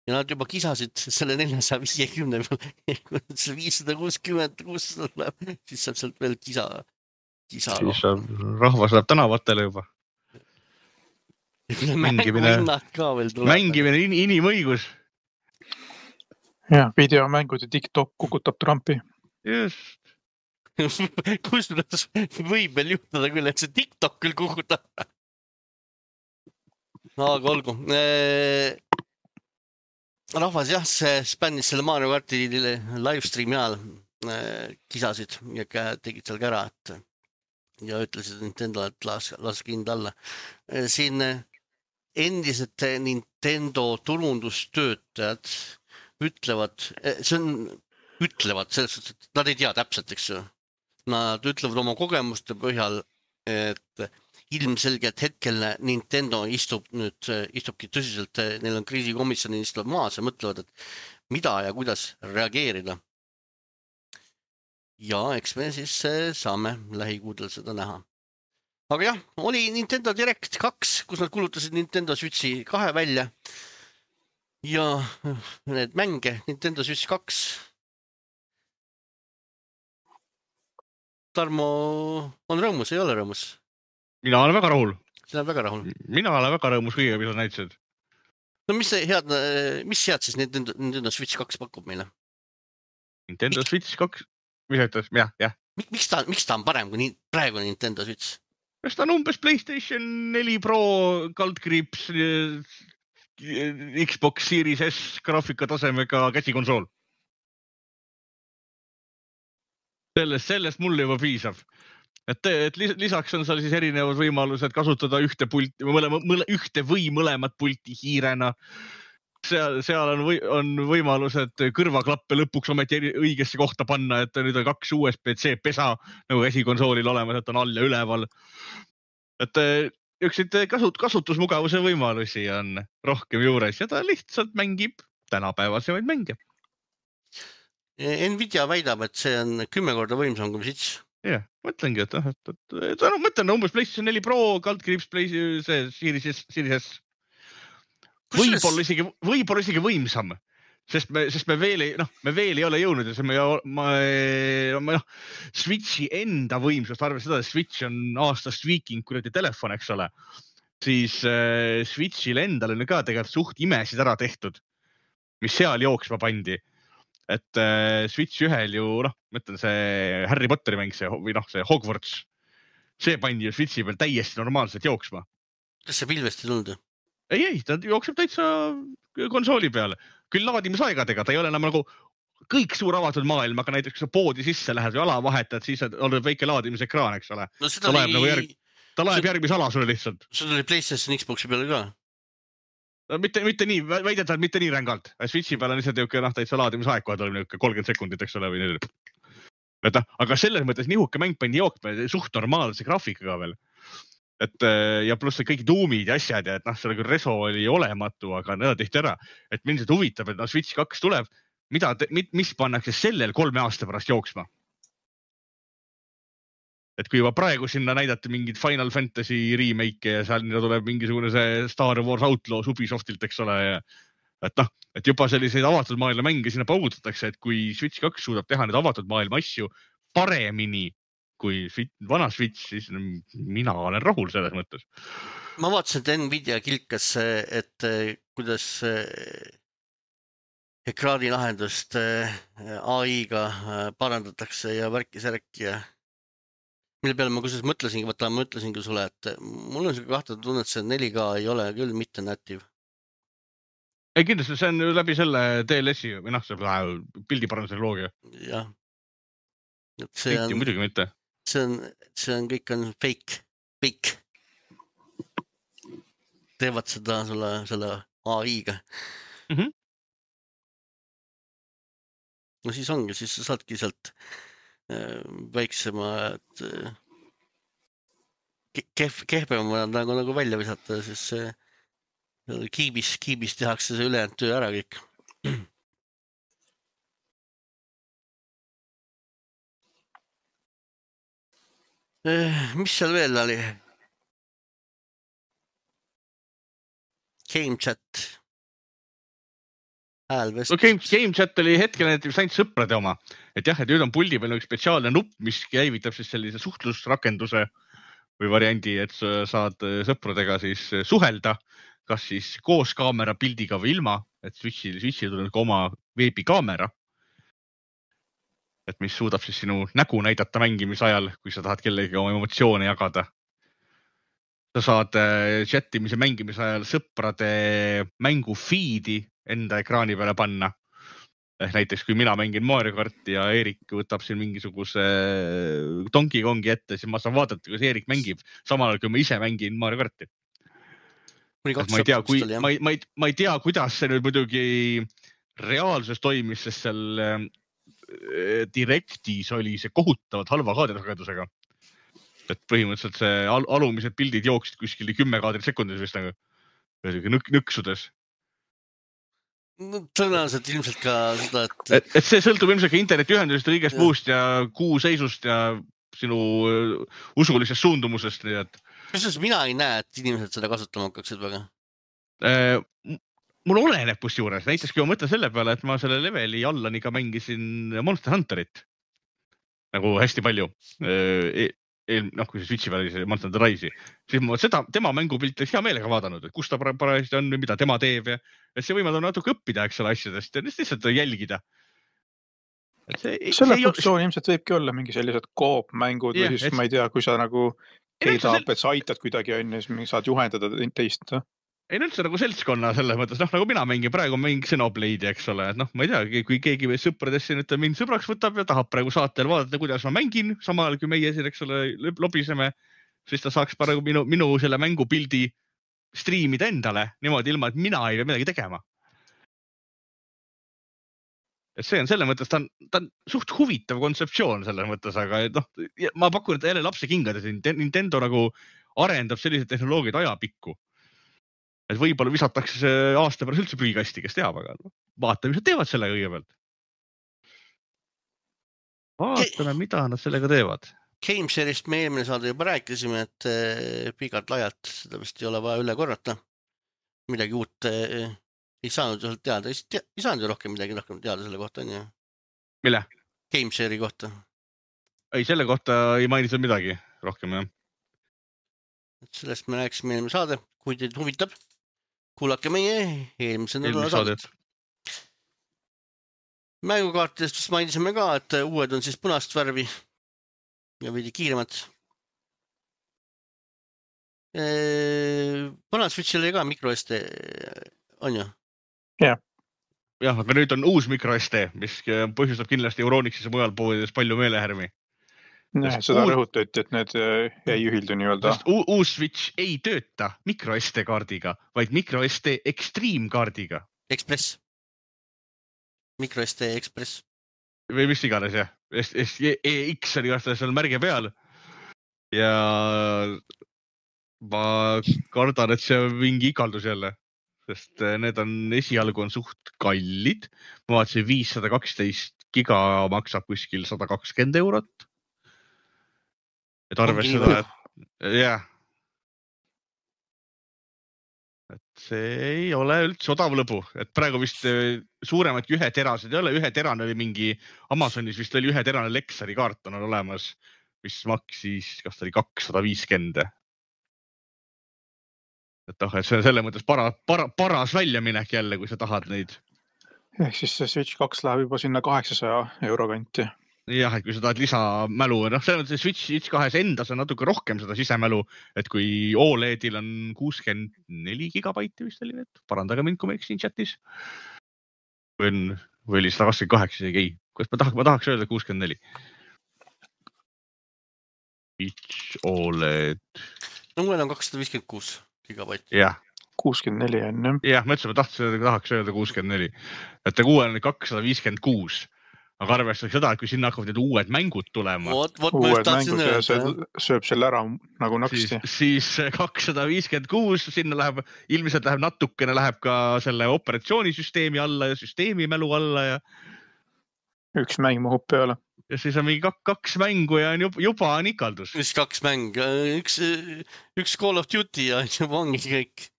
Ja nad juba kisasid selle neljasaja viiekümne peal, viissada kuuskümmend, kuussada tuleb, siis saab sealt veel kisa. Kisa siis on, rahvas läheb tänavatele juba. Mängimine, mängimine in, inimõigus. Ja, videomängud ja TikTok kukutab Trumpi. Just. Kusjuures võib veel juhtuda küll, et see TikTok küll kukutab. Aga olgu. Rahvas jah, see spännis selle Mario Karti livestreami ajal kisasid ja tegid seal kära, et ja ütlesid Nintendo, et las, las kind alla. Siin endised Nintendo turundustöötajad ütlevad, see on, ütlevad selles suhtes, et nad ei tea täpselt, eks ju. Nad ütlevad oma kogemuste põhjal, et ilmselgelt hetkel Nintendo istub nüüd, istubki tõsiselt, neil on kriisikomisjoni istuvad maas ja mõtlevad, et mida ja kuidas reageerida. Ja eks me siis saame lähikuudel seda näha. Aga jah, oli Nintendo Direct kaks, kus nad kulutasid Nintendo Switchi kahe välja ja need mänge Nintendo Switch kaks. Tarmo on rõõmus, ei ole rõõmus? Mina olen väga rahul. Sina olen väga rahul. Mina olen väga rõõmus kõige, mis on näitasid. No mis head, mis head siis Nintendo, Nintendo Switch kaks pakub meile? Nintendo Miks? Switch kaks, mis ütles? Jah, jah. Miks ta, miks ta on parem kui praegu Nintendo Switch? Kas ta on umbes PlayStation neli Pro, kaldkriips, Xbox Series S graafika tasemega käsikonsool? Sellest, sellest mulle juba piisab. Et, et lisaks on seal siis erinevad võimalused kasutada ühte, pulti, mõlema, mõle, ühte või mõlemat pulti hiirena. Seal, seal on, või, on võimalused kõrvaklappe lõpuks ometi õigesse kohta panna, et nüüd on kaks U S B C pesa nagu käsikonsoolil olemas, et on all ja üleval. Et üksid kasut, kasutusmugavuse võimalusi on rohkem juures ja ta lihtsalt mängib tänapäevasemaid mänge. Nvidia väidab, et see on kümme korda võimsam kui Switch. Jah, mõtlengi, et, et, et, et no, mõtlen umbes PlayStation neli Pro, kaldkriips, see Series, Series S. Võib-olla isegi, võib-olla isegi võimsam, sest me, sest me veel ei, noh, me veel ei ole jõudnud ja see me, ma, ma, noh, Switchi enda võimsust, arvestades seda, et Switch on aastast viiking kuradi telefon, eks ole, siis äh, Switchil endal on ka tegelikult suht imesid ära tehtud, mis seal jooksma pandi. Et äh, Switch ühel ju, noh, mõtlen see Harry Potteri mäng, see, või noh, see Hogwarts, see pandi ju Switchi peal täiesti normaalselt jooksma. Kas see pilvest ei tulnud? Ei, ei, ta jookseb täitsa konsooli peale. Küll laadimisaegadega, ta ei ole enam nagu kõik suur avatud maailm, aga näiteks kui sa poodi sisse lähed või ala vahetad, siis on väike laadimisekraan, eks ole. No, ta laeb, oli... nagu järg... ta laeb see... järgmise ala sulle lihtsalt. See oli PlayStation Xboxi peale ka? Mitte, mitte nii, väidetavalt mitte nii rängalt. Switchi peal on lihtsalt jõuke, noh, täitsa laadimisaeg, kui oli kolmkümmend sekundit, eks ole, või nüüd. Et, aga selles mõttes nihuke mäng pandi jookme suht normaalse graafikaga veel. Et, ja pluss kõik tuumid ja asjad ja et noh, selle küll reso oli olematu, aga need tehti ära. Et mind see huvitab, et no Switch kaks tuleb, mida, mis pannakse sellel kolme aasta pärast jooksma? Et kui juba praegu sinna näidati mingid Final Fantasy remake ja seal tuleb mingisugune see Star Wars Outlaws Ubisoftilt, eks ole. Ja, et noh, et juba selliseid avatud maailma mänge sinna paugutatakse, et kui Switch kaks suudab teha need avatud maailma asju paremini kui vana Switch, siis mina olen rahul selles mõttes. Ma vaatasin, et Nvidia kilkas, et kuidas ekraanilahendust A I-ga parandatakse ja värki-särki ja mille peale ma kusjuures mõtlesingi, võtta, ma ütlesingi sulle, et mul on see kahtlane tunne, et see neli K ei ole küll mitte native. Ei kindlasti, see on läbi selle D L S-i või noh, see pildiparanduse loogia. Jah. See on, muidugi mitte. See on, see on kõik on fake, fake. Teevad seda sulle, selle A I-ga. Mm-hmm. No siis ongi, siis sa saadki sealt väiksema, et kehv, kehvema nagu, nagu välja visata, siis see kiibis, kiibis tehakse see ülejäänud töö ära kõik. Mis seal veel oli? Game chat. No game, game chat oli hetkel näiteks ainult sõprade oma, et jah, et nüüd on puldi peal üks spetsiaalne nupp, mis käivitab siis sellise suhtlusrakenduse või variandi, et sa saad sõpradega siis suhelda, kas siis koos kaamera pildiga või ilma, et Switchi, Switchi tuleb ka oma veebikaamera. et mis suudab siis sinu nägu näidata mängimise ajal, kui sa tahad kellegi oma emotsioone jagada. Sa saad chatimise mängimise ajal sõprade mängu feed'i enda ekraani peale panna. Ehk näiteks, kui mina mängin Mario Karti ja Eerik võtab siin mingisuguse Donkey Kongi ette, siis ma saan vaadata, kuidas Eerik mängib, samal ajal kui ma ise mängin Mario Karti. Ma ei tea, kui, ma ei, ma ei, ma ei tea, kuidas see nüüd muidugi reaalsuses toimis, sest seal Directis oli see kohutavalt halva kaadrisagedusega. Et põhimõtteliselt see al alumised pildid jooksid kuskil kümme kaadrit sekundis vist nagu nõk nõksudes. No, tõenäoliselt ilmselt ka seda, et... et... Et see sõltub ilmselt ka internetiühendusest ja kõigest ja. muust ja kuu seisust ja sinu usulisest suundumusest. Nii et... Kas mina ei näe, et inimesed seda kasutama hakkaksid väga? Äh, mul oleneb kus juures. Näiteks kui ma mõtlen selle peale, et ma selle leveli Allani ka mängisin Monster Hunterit. Nagu hästi palju. E noh, kui see Switchi peal oli see Monster Hunter Rise'i, siis ma seda, tema mängupilti hea meelega vaadanud, et kus ta parajasti on või mida tema teeb ja et see võimaldab natuke õppida, eks ole, asjadest ja lihtsalt jälgida. See, selle see funktsioon ei... ilmselt võibki olla mingi sellised koop-mängud yeah, või siis et... ma ei tea, kui sa nagu keidab, et sa aitad kuidagi on ja siis saad juhendada teist. Ei üldse nagu seltskonna selles mõttes, noh nagu mina mängin, praegu mängin Xenoblade'i, eks ole, et noh, ma ei tea, kui keegi või sõpradest siin mind sõbraks võtab ja tahab praegu saatel vaadata, kuidas ma mängin, samal kui meie siin, eks ole, lobiseme, siis ta saaks praegu minu, minu selle mängupildi striimida endale niimoodi ilma, et mina ei pea midagi tegema. Et see on selle mõttes, ta on, ta on suht huvitav kontseptsioon selles mõttes, aga noh, ma pakun, et jälle lapse kingades Nintendo nagu arendab sellised tehnoloogiad ajapikku. Et võib-olla visatakse see aasta pärast üldse prügikasti, kes teab, aga no, vaatame, mis nad teevad sellega kõigepealt. Vaatame, mida nad sellega teevad. Gamesharist me eelmine saade juba rääkisime, et pikalt laialt seda vist ei ole vaja üle korrata. Midagi uut ei saanud ju teada. Ei saanud ju rohkem midagi rohkem teada selle kohta. On ju? Mille? Gameshari kohta. Ei, selle kohta ei mainitud midagi rohkem, jah. Sellest me rääkisime eelmine saade, kui teid huvitab. Kuulake meie eelmise nädala saadet. Mängukaartidest vist mainisime ka, et uued on siis punast värvi ja veidi kiiremad. Vanad Switchil oli ka microSD, on ju? Jah. Jah, aga nüüd on uus microSD, mis põhjustab kindlasti Euronixis ja mujal poodides palju meelehärmi. Nee, seda uus... rõhutati, et need ei ühildu nii-öelda. Uus Switch ei tööta microSD kaardiga, vaid microSD Extreme kaardiga. Express. MicroSD Express. Või mis iganes, jah. E X oli vasta seal märge peal. Ja ma kardan, et see on mingi ikaldus jälle. Sest need on, esialgu on suht kallid. Ma vaatasin viissada kaksteist giga maksab kuskil sada kakskümmend eurot. Et arves seda, et jah. Et see ei ole üldse odav lõbu. Et praegu vist suuremad kui ühe terased ei ole. Ühe terane oli mingi, Amazonis vist oli ühe terane Lexari kaart on olemas, mis maksis, kas ta oli kakssada viiskümmend. Et oh, et see on selle mõttes para, para, paras väljaminek jälle, kui sa tahad neid. Ehk siis see Switch kaks läheb juba sinna kaheksasaja euro kanti. Jah, et kui sa tahad lisamälu, noh, selle mõttes Switch, Switch kahes endas on natuke rohkem seda sisemälu, et kui O L E D-il on kuuskümmend neli gigabaiti vist oli, et parandage mind, kui ma eksin chatis. Või, on, või oli sada kakskümmend kaheksa, isegi ei. Kuidas ma tahaks, ma tahaks öelda kuuskümmend neli. Switch O L E D. No mul on kakssada viiskümmend kuus gigabaiti. Jah. kuuskümmend neli on, jah. Jah, ma ütlesin, ma tahtsin, tahaks öelda kuuskümmend neli. Et ta kuue on kakssada viiskümmend kuus. Aga arvestaks seda, et kui sinna hakkavad need uued mängud tulema. Oot, oot, uued mängud ja see sööb selle ära nagu naksti. Siis, siis kakssada viiskümmend kuus, sinna läheb, ilmselt läheb natukene, läheb ka selle operatsioonisüsteemi alla ja süsteemi mälu alla ja... Üks mäng mahub peale. Ja siis on mingi kaks mängu ja juba, juba on ikaldus. Mis kaks mäng? Üks, üks Call of Duty ja juba ongi kõik.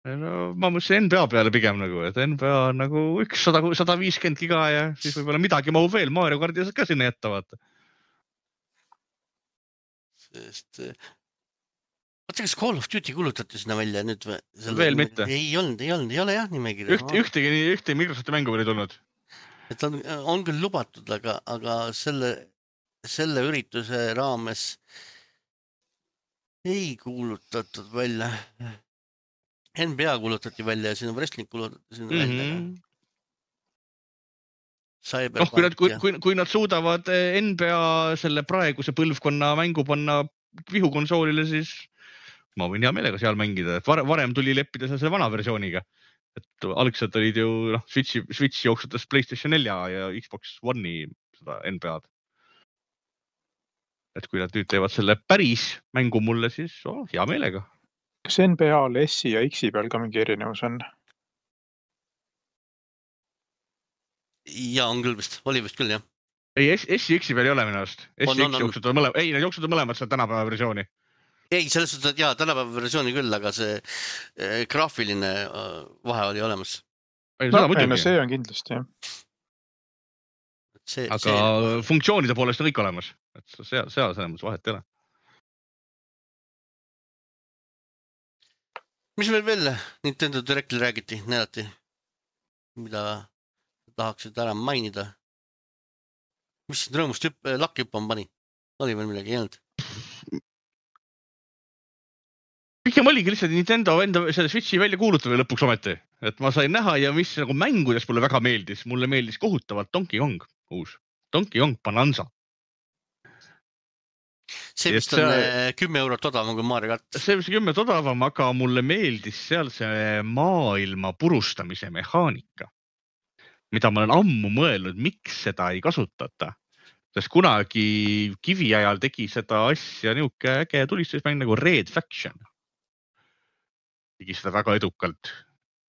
No, ma mõtlesin N B A peale pigem nagu, et N B A on nagu üks sada viiskümmend giga ja siis võib-olla midagi mahub veel, Mario Kardi saad ka sinna jätta, vaata. Sest... Vaata, kas Call of Duty kulutati sinna välja nüüd või? Veel mitte. Ei olnud, ei olnud, ei ole jah nimekirja. Üht, ühtegi, ühtegi Microsofti mängu veel ei tulnud. et on, on küll lubatud, aga, aga selle, selle ürituse raames ei kuulutatud välja. N B A kuulutati välja ja siin on wrestling kuulutati sinna mm -hmm. välja. Noh, kui nad, kui, kui, kui nad suudavad N B A selle praeguse põlvkonna mängu panna vihukonsoolile, siis ma võin hea meelega seal mängida, et varem tuli leppida selle vana versiooniga. Et algselt olid ju noh, Switchi, Switchi jooksutas PlayStation nelja ja Xbox One'i seda N B A-d. Et kui nad nüüd teevad selle päris mängu mulle, siis oh, hea meelega. Kas N B A-l S-i ja X-i peal ka mingi erinevus on? Ja on küll vist, oli vist küll jah. Ei, S-i X-i peal ei ole minu arust. S-i X jooksutada mõlemad, ei, need jooksutada mõlemad seda tänapäeva versiooni. Ei, selles suhtes, et jaa, tänapäeva versiooni küll, aga see äh, graafiline äh, vahe oli olemas. Ei, no, ei, no see on kindlasti, jah. See, aga see... funktsioonide poolest on kõik olemas. Et seal, seal selles vahet ei ole. Mis meil veel Nintendo Directil räägiti, näidati, mida tahaksid ära mainida? Mis siin rõõmust hüpp, lakkihüppam pani? Oli veel midagi jäänud? Pigem oligi lihtsalt Nintendo enda selle Switchi välja kuulutada lõpuks ometi. Et ma sain näha ja mis nagu mängudes mulle väga meeldis. Mulle meeldis kohutavalt Donkey Kong uus. Donkey Kong Bonanza. See vist on see, kümme eurot odavam kui Mario Kart. See vist kümme odavam, aga mulle meeldis seal see maailma purustamise mehaanika, mida ma olen ammu mõelnud, miks seda ei kasutata. Sest kunagi kivi ajal tegi seda asja niuke äge tulistusmäng nagu Red Faction. Tegi seda väga edukalt.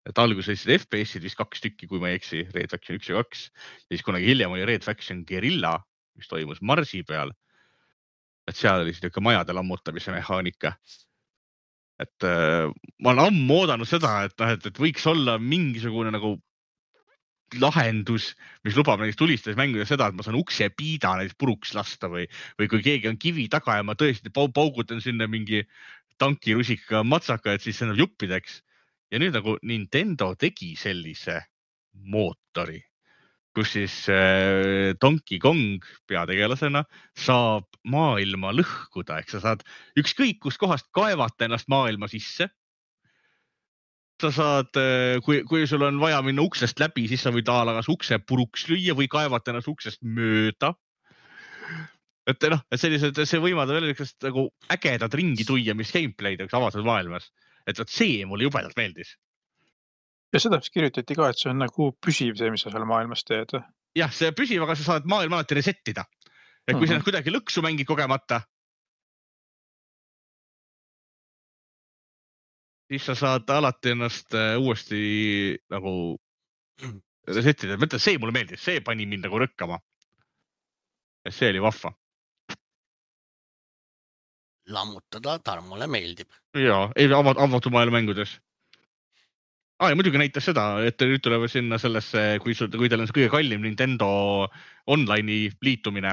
Et alguses F P S-id vist kaks tükki, kui ma ei eksi, Red Faction üks ja kaks. Ja siis kunagi hiljem oli Red Faction Guerilla, mis toimus Marsi peal. Et seal oli niisugune majade lammutamise mehaanika. Et äh, ma olen ammu oodanud seda, et, et, et võiks olla mingisugune nagu lahendus, mis lubab näiteks tulistas mänguda seda, et ma saan ukse piida näiteks puruks lasta või, või kui keegi on kivi taga ja ma tõesti paugutan sinna mingi tankirusika matsaka, et siis see on juppideks. Ja nüüd nagu Nintendo tegi sellise mootori, kus siis äh, Donkey Kong peategelasena saab maailma lõhkuda, ehk sa saad ükskõik kust kohast kaevata ennast maailma sisse. Sa saad, kui, kui sul on vaja minna uksest läbi, siis sa võid alagas ukse puruks lüüa või kaevata ennast uksest mööda. Et, noh, et sellised, see võimaldab veel niisugust nagu ägedad ringi tuia, mis gameplay'd avatud maailmas. Et võt see mulle jubedalt meeldis. Ja seda vist kirjutati ka, et see on nagu püsiv see, mis sa seal maailmas teed. Jah, see püsiv, aga sa saad maailma alati resettida. Et kui mm-hmm. sa kuidagi lõksu mängid kogemata, siis sa saad alati ennast uuesti nagu resettida. Mõtle, see mulle meeldis, see pani mind nagu rõkkama. Ja see oli vahva. Lammutada Tarmole meeldib. Jaa, ei avatud maailma mängudes. Ah, ja muidugi näitas seda, et nüüd tulevad sinna sellesse, kui, sul, kui teil on see kõige kallim Nintendo online'i liitumine,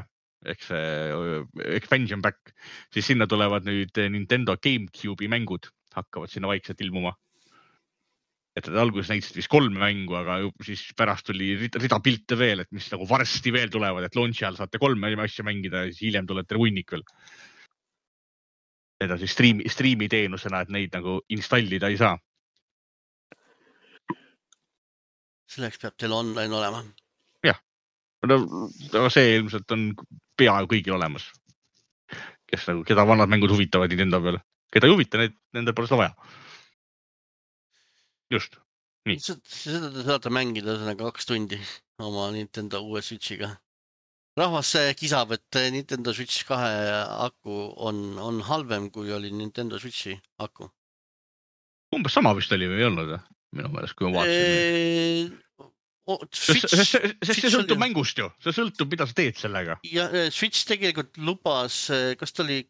ehk see expansion pack, siis sinna tulevad nüüd Nintendo GameCube'i mängud, hakkavad sinna vaikselt ilmuma. Et alguses näitasid vist kolme mängu, aga siis pärast tuli rida, rida pilte veel, et mis nagu varsti veel tulevad, et launchi all saate kolme asja mängida ja siis hiljem tulete hunnik veel. Seda siis streami, streami teenusena, et neid nagu installida ei saa. Selleks peab teil online olema. Jah, no see ilmselt on peaaegu kõigil olemas. Kes nagu, keda vanad mängud huvitavad Nintendo peal. Keda ei huvita, need, nende pole seda vaja. Just, nii. Seda te saate mängida kaks tundi oma Nintendo uue Switchiga. Rahvas kisab, et Nintendo Switch kahe aku on, on halvem, kui oli Nintendo Switchi aku. Umbes sama vist oli või ei olnud? Minu meelest, kui ma vaatasin. Oh, Switch, sest, sest see sõltub oli... mängust ju. See sõltub, mida sa teed sellega. Ja Switch tegelikult lubas, kas ta oli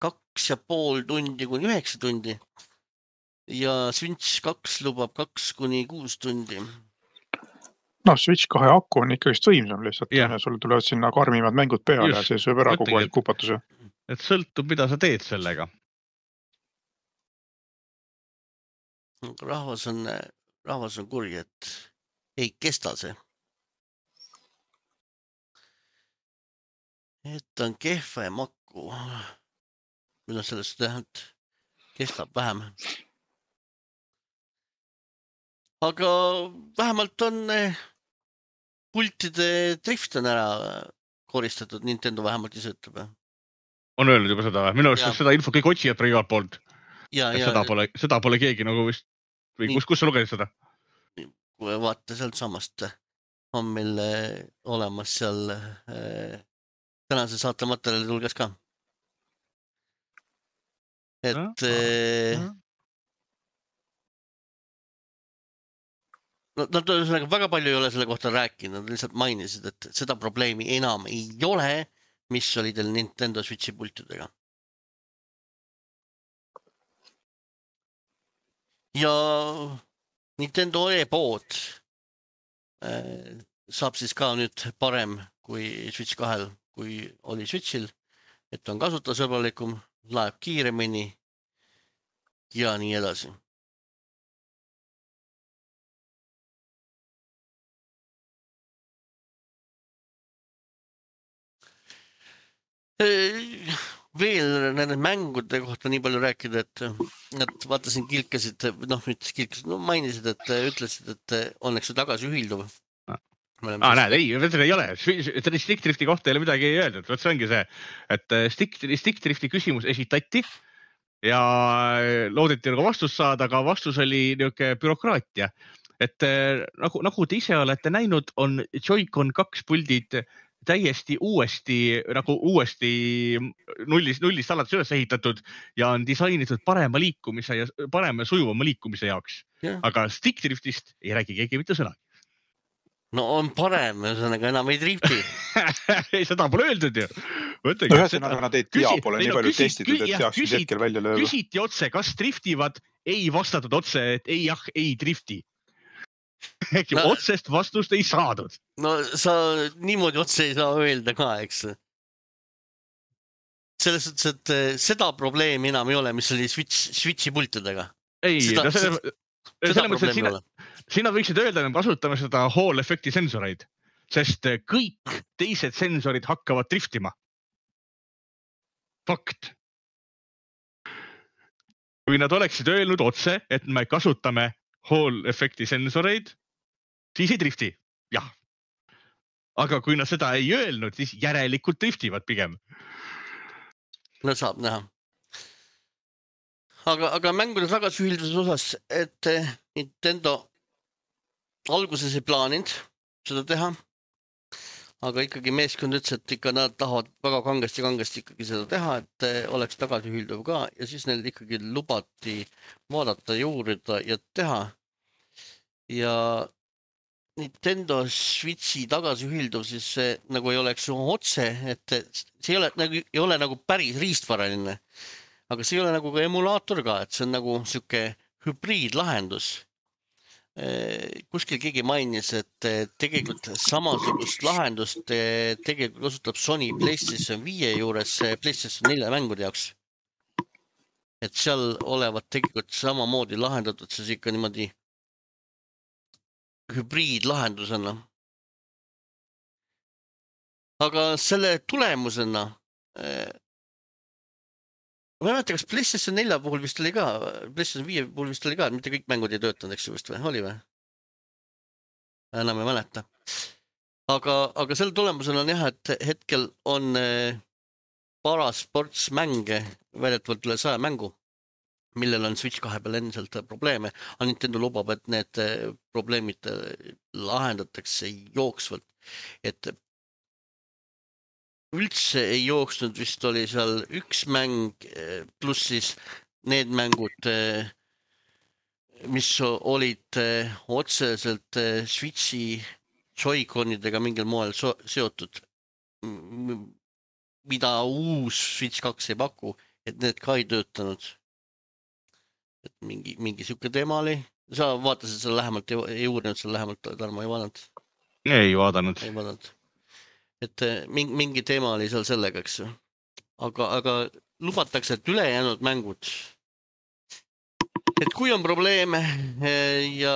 kaks ja pool tundi kuni üheksa tundi. Ja Switch kaks lubab kaks kuni kuus tundi. No, Switch kahe aku on ikkagi võimsam lihtsalt. Yeah. Sul tulevad sinna karmimad mängud peale ja see sööb ära kogu aeg kupatuse. Et sõltub, mida sa teed sellega. Rahvas on, rahvas on kuri, et ei kesta see. et on kehve makku. Mida sellest teha, et kestab vähem. Aga vähemalt on pultide drift on ära koristatud, Nintendo vähemalt ise ütleb. On öelnud juba seda, minu arust seda info kõik otsijad praegu igalt poolt. Ja, ja, seda, pole, seda pole keegi nagu vist, või kus, kus sa lugesid seda? Kui vaata sealt samast on meil olemas seal äh, tänase saate materjali tulges ka. Et ja, äh, no, nad väga palju ei ole selle kohta rääkinud, nad lihtsalt mainisid, et seda probleemi enam ei ole, mis oli teil Nintendo Switchi pultidega. Ja Nintendo e-pood äh, saab siis ka nüüd parem kui Switch kahel, kui oli Switchil, et on kasutajasõbralikum, laeb kiiremini ja nii edasi. Veel nende mängude kohta nii palju rääkida, et nad vaatasin kilkasid, noh, mitte kilkasid, no mainisid, et ütlesid, et õnneks see tagasi ühilduv. Ah, näed, ei, ei ole. Stick Drifti kohta ei ole midagi ei öeldud. Võt see ongi see, et Stick, Stick Drifti küsimus esitati ja loodeti nagu vastus saada, aga vastus oli niuke bürokraatia. Et nagu, nagu te ise olete näinud, on Joy-Con kaks puldid täiesti uuesti, nagu uuesti nullist, nullist alates üles ehitatud ja on disainitud parema liikumise ja parema sujuvama liikumise jaoks. Ja. Aga Stick Driftist ei räägi keegi mitte sõnagi. No on parem, ühesõnaga enam ei drifti. Ei, seda pole öeldud ju. Ühesõnaga nad ei tea, pole nii palju testitud, et teaks, mis hetkel välja lööb. Küsiti otse, kas driftivad, ei vastatud otse, et ei, jah, ei drifti. Äkki no, otsest vastust ei saadud. No sa niimoodi otse ei saa öelda ka, eks. Selles suhtes, et seda probleemi enam ei ole, mis oli Switch, Switchi pultidega. Ei, seda, no selle, seda selle mõttes, et sina, sina võiksid öelda, et me kasutame seda Hall efekti sensoreid, sest kõik teised sensorid hakkavad driftima. Fakt. Kui nad oleksid öelnud otse, et me kasutame Hall efekti sensoreid, siis ei drifti. Jah. Aga kui nad seda ei öelnud, siis järelikult driftivad pigem. No saab näha. Aga, aga mängude tagasühilduses osas, et Nintendo alguses ei plaaninud seda teha, aga ikkagi meeskond ütles, et ikka nad tahavad väga kangesti, kangesti ikkagi seda teha, et oleks tagasühilduv ka ja siis neil ikkagi lubati vaadata, juurida ja teha. Ja Nintendo Switchi tagasühilduv siis see, nagu ei oleks otse, et see ei ole nagu, ei ole nagu päris riistvaraline, aga see ei ole nagu ka emulaator ka, et see on nagu siuke hübriidlahendus. Kuskil keegi mainis, et tegelikult samasugust lahendust tegelikult kasutab Sony PlayStation viie juures PlayStation nelja mängude jaoks. Et seal olevat tegelikult samamoodi lahendatud, see ikka niimoodi hübriidlahendusena. Aga selle tulemusena ma ei mäleta, kas PlayStation nelja puhul vist oli ka, PlayStation viie puhul vist oli ka, et mitte kõik mängud ei töötanud, eks ju vist või, oli või? Enam ei mäleta. Aga, aga selle tulemusena on jah, et hetkel on parasports mänge, väidetavalt üle saja mängu, millel on Switch kahe peal endiselt probleeme, aga Nintendo lubab, et need probleemid lahendatakse jooksvalt, et üldse ei jooksnud, vist oli seal üks mäng, pluss siis need mängud, mis olid otseselt Switchi Joy-Conidega mingil moel seotud, mida uus Switch kaks ei paku, et need ka ei töötanud. Et mingi, mingi siuke teema oli. Sa vaatasid seal lähemalt, ei uurinud seal lähemalt, Tarmo ei vaadanud? Ei vaadanud. Ei vaadanud. Et mingi, mingi teema oli seal sellega, eks. Aga, aga lubatakse, et ülejäänud mängud, et kui on probleeme ja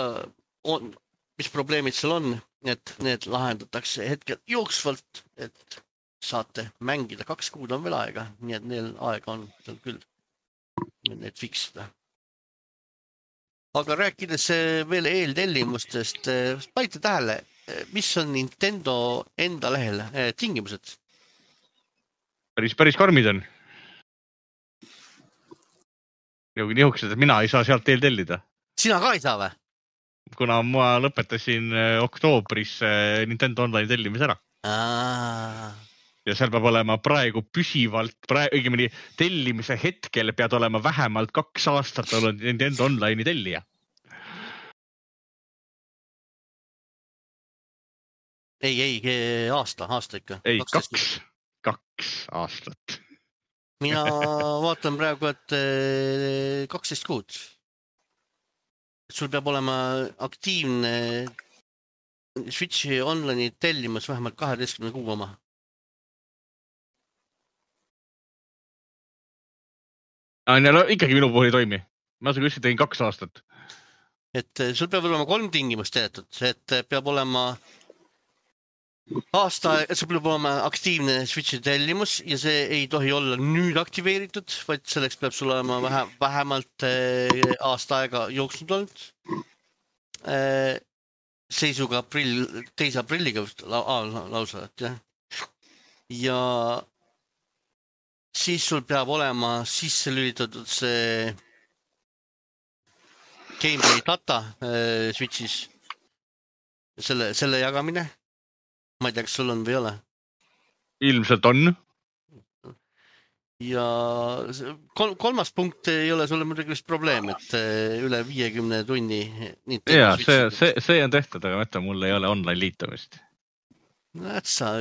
on, mis probleemid seal on, et need lahendatakse hetkel jooksvalt, et saate mängida, kaks kuud on veel aega, nii et neil aega on seal küll need fiksida. Aga rääkides veel eeltellimustest, panite tähele, mis on Nintendo enda lehel tingimused? Päris, päris karmid on. Nihukesed, et mina ei saa sealt eeltellida. Sina ka ei saa või? Kuna ma lõpetasin oktoobris Nintendo Online tellimise ära. Aa. Ja seal peab olema praegu püsivalt, praegu, õigemini tellimise hetkel pead olema vähemalt kaks aastat olnud Nintendo Online'i tellija. Ei, ei, aasta, aasta ikka. Ei, kaks, kaks aastat. Mina vaatan praegu, et kaksteist kuud. Sul peab olema aktiivne Switchi Online'i tellimus vähemalt kaheteistkümne kuu oma. No, ikkagi minu puhul ei toimi. Ma seda küll tegin kaks aastat. Et sul peab olema kolm tingimust teatud, et peab olema aasta, sul peab olema aktiivne Switchi tellimus ja see ei tohi olla nüüd aktiveeritud, vaid selleks peab sul olema vähe, vähemalt aasta aega jooksnud olnud. Seisuga aprill, teise aprilliga lausa, et jah. Ja siis sul peab olema sisse lülitatud see gameplay data äh, Switchis, selle, selle jagamine. Ma ei tea, kas sul on või ei ole? Ilmselt on. Ja kol, kolmas punkt ei ole sulle muidugi vist probleem, et üle viiekümne tunni. Jaa, see, see, see on tehtud, aga mõtle, mul ei ole online liitumist. Näed sa,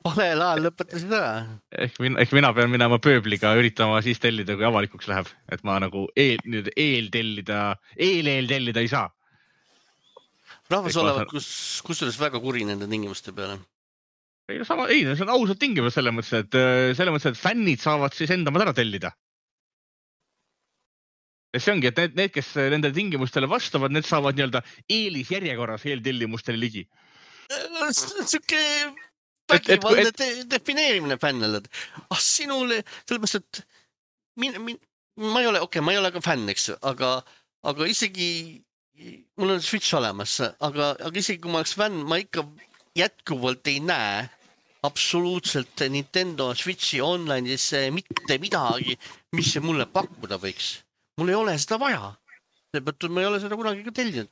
valel ajal lõpetasid ära. Ehk, min, ehk mina pean minema pööbliga üritama siis tellida, kui avalikuks läheb. Et ma nagu eel, nüüd eel tellida, eel eel tellida ei saa. Rahvas olevat, kus, kus üles väga kuri nende tingimuste peale. Ei, no sama, ei, see on ausalt tingimus selles mõttes, et, selles mõttes, et fännid saavad siis enda ära tellida. Ja see ongi, et need, need, kes nende tingimustele vastavad, need saavad nii-öelda eelisjärjekorras eeltellimustele ligi. Siuke vägivaldne te, defineerimine fännele. Ah, sinule, sellepärast, et min, min, ma ei ole, okei, okay, ma ei ole ka fänn, eks, aga, aga isegi mul on Switch olemas, aga, aga isegi kui ma oleks fänn, ma ikka jätkuvalt ei näe absoluutselt Nintendo Switchi online'is mitte midagi, mis see mulle pakkuda võiks. Mul ei ole seda vaja. Seepärast ma ei ole seda kunagi ka tellinud.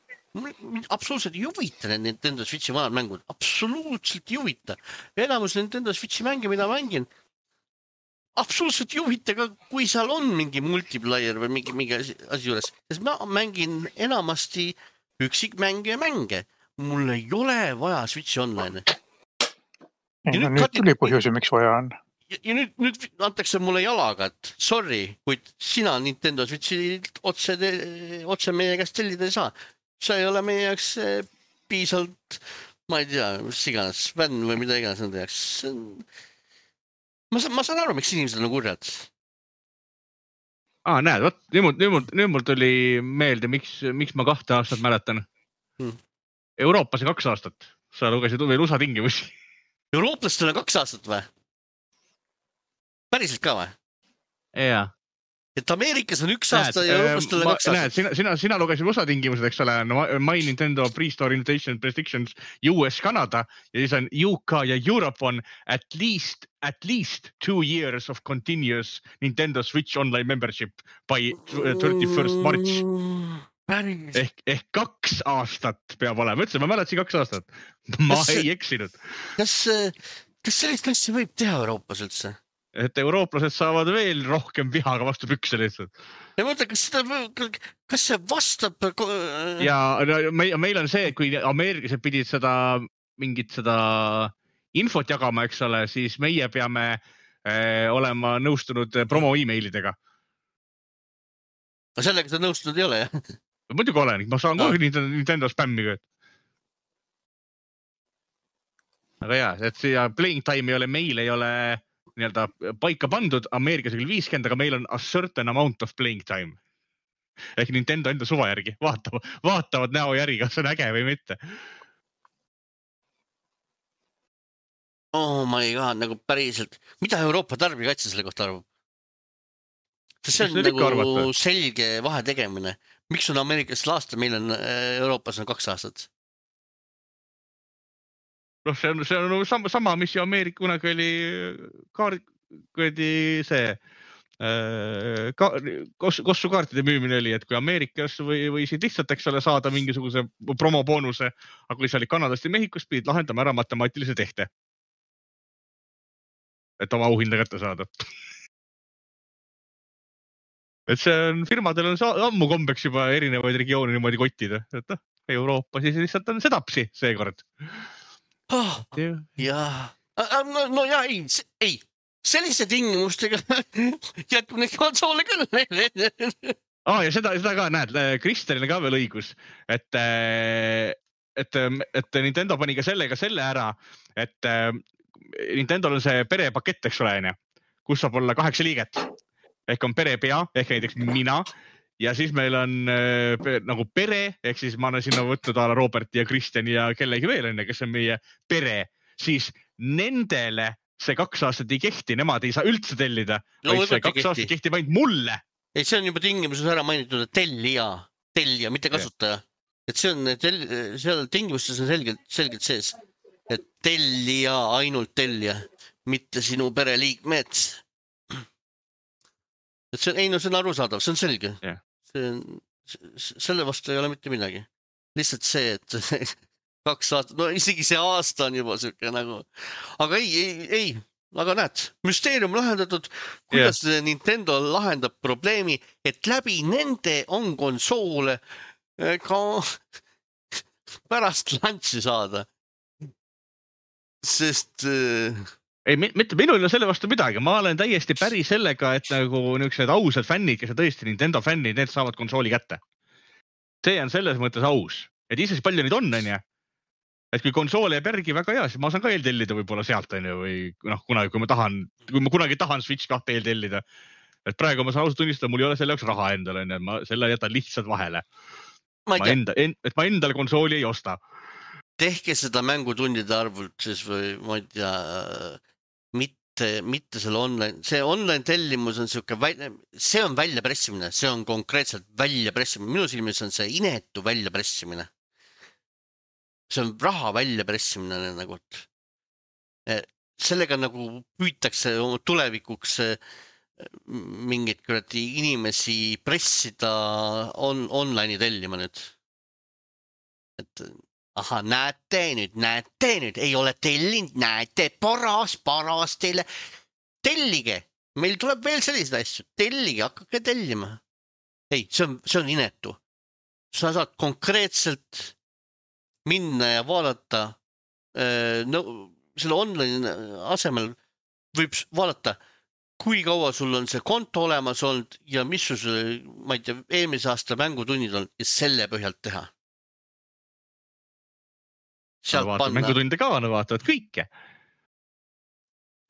Absoluutselt ei huvita Nintendo Switchi vanad mängud. Absoluutselt ei huvita. Enamus Nintendo Switchi mänge, mida mängin, absoluutselt ei huvita ka, kui seal on mingi multiplayer või mingi, mingi asi juures. Sest ma mängin enamasti üksikmänge ja mänge. Mul ei ole vaja Switchi online. Ei, no nüüd tuli põhjusi, miks vaja on. Ja, ja nüüd, nüüd antakse mulle jalaga, et sorry, kuid sina Nintendo Switchi otse, otse meie käest tellida ei saa. Sa ei ole meie jaoks piisalt, ma ei tea, mis iganes, fänn või mida iganes nende jaoks. Ma, ma saan aru, miks inimesed on kurjad. Aa, näed, võt, nüüd mul, nüüd mul, nüüd mul tuli meelde, miks, miks ma kahte aastat mäletan. Hmm. Euroopas on kaks aastat. Sa lugesid veel U S A tingimusi. Eurooplastel on kaks aastat või? Päriselt ka või? Jaa. Et Ameerikas on üks aasta ja Eurooplastel on kaks aastat. Näed, sina, sina, sina lugesid U S A tingimused, eks ole, My Nintendo Pre-Store Invitation Restrictions U S Canada ja siis on U K ja Europe on at least, at least two years of continuous Nintendo Switch online membership by thirty-first March. Päris. Ehk, ehk kaks aastat peab olema. Ütlesin, ma mäletasin kaks aastat. Ma kas, ei eksinud. Kas, kas sellist asja võib teha Euroopas üldse? Et eurooplased saavad veel rohkem vihaga vastu pükse lihtsalt. Ja mõtle, kas, seda, kas see vastab? Ja meil, meil on see, kui ameeriklased pidid seda, mingit seda infot jagama, eks ole, siis meie peame eh, olema nõustunud promo e-mailidega. No sellega sa nõustunud ei ole, jah? Muidugi olen, ma saan kogu Nintendo, Nintendo spämmiga. Aga jah, et siia playing time ei ole, meil ei ole nii-öelda paika pandud, Ameerikas küll viiskümmend, aga meil on a certain amount of playing time. Ehk Nintendo enda suva järgi vaatavad, vaatavad näo järgi, kas on äge või mitte. oh my god, nagu päriselt, mida Euroopa tarbijakaitse selle kohta arvab? See on nagu selge vahe tegemine. Miks on Ameerikas aasta, meil on Euroopas on kaks aastat? noh, see on, see on sama, sama, mis ju Ameerika kunagi oli kaart, see ka, kossukaartide müümine oli, et kui Ameerikas või, või siin lihtsalt, eks ole, saada mingisuguse promoboonuse, aga kui sa olid Kanadast ja Mehhikost, pidid lahendama ära matemaatilise tehte. Et oma auhinda kätte saada. Et see on, firmadel on ammu kombeks juba erinevaid regioone niimoodi kottida. Et noh, Euroopa siis lihtsalt on sedapsi seekord. Oh, jaa. No, no jah, ei, ei. Sellise tingimustega jätkub neid konsoole küll. Ah, ja seda, seda ka näed, Kristelile ka veel õigus, et, et, et Nintendo pani ka sellega selle ära, et Nintendo on see perepakett, eks ole, kus saab olla kaheksa liiget. Ehk on perepea, ehk näiteks mina ja siis meil on nagu pere, ehk siis ma olen sinna võtnud ala Robert ja Kristjan ja kellegi veel, kes on meie pere, siis nendele see kaks aastat ei kehti, nemad ei saa üldse tellida, no, vaid see kaks aastat kehtib ainult mulle. Ei, see on juba tingimuses ära mainitud, et tellija, tellija, mitte kasutaja. Et see on, tell, seal tingimustes on selgelt, selgelt sees, et tellija, ainult tellija, mitte sinu pereliikmed. Et see on, ei, no see on arusaadav, see on selge. Yeah. See on, selle vastu ei ole mitte midagi. Lihtsalt see, et kaks aastat, no isegi see aasta on juba siuke nagu, aga ei, ei, ei, aga näed, müsteerium lahendatud, kuidas yeah. Nintendo lahendab probleemi, et läbi nende on konsoole ka pärast launchi saada. Sest... Ei, mitte minul on selle vastu midagi, ma olen täiesti päri sellega, et nagu niisugused ausad fännid, kes on tõesti Nintendo fännid, need saavad konsooli kätte. See on selles mõttes aus, et ise palju neid on, on ja? Et kui konsool jääb järgi väga hea, siis ma saan ka eeltellida võib-olla sealt on ju, või noh, kunagi, kui ma tahan, kui ma kunagi tahan Switch kahte eeltellida. Et praegu ma saan ausalt tunnistada, mul ei ole selle jaoks raha endale, on, ma selle jätan lihtsalt vahele. Ma, ma enda, en, et ma endale konsooli ei osta. Tehke seda mängutundide arvult siis või ma ei tea, mitte, mitte selle online, see online tellimus on siuke, see on väljapressimine, see on konkreetselt väljapressimine. Minu silmis on see inetu väljapressimine. See on raha väljapressimine nagu, sellega nagu püütakse tulevikuks mingid kuradi inimesi pressida on, online'i tellima nüüd. Et aha, näete nüüd, näete nüüd, ei ole tellinud, näete, paras, paras teile. Tellige, meil tuleb veel sellised asju, tellige, hakkake tellima. Ei, see on, see on inetu. Sa saad konkreetselt minna ja vaadata no, selle online asemel võib vaadata, kui kaua sul on see konto olemas olnud ja mis sul, ma ei tea, eelmise aasta mängutunnid on ja selle põhjalt teha. Vaata, mängutunde ka on, vaatavad kõike.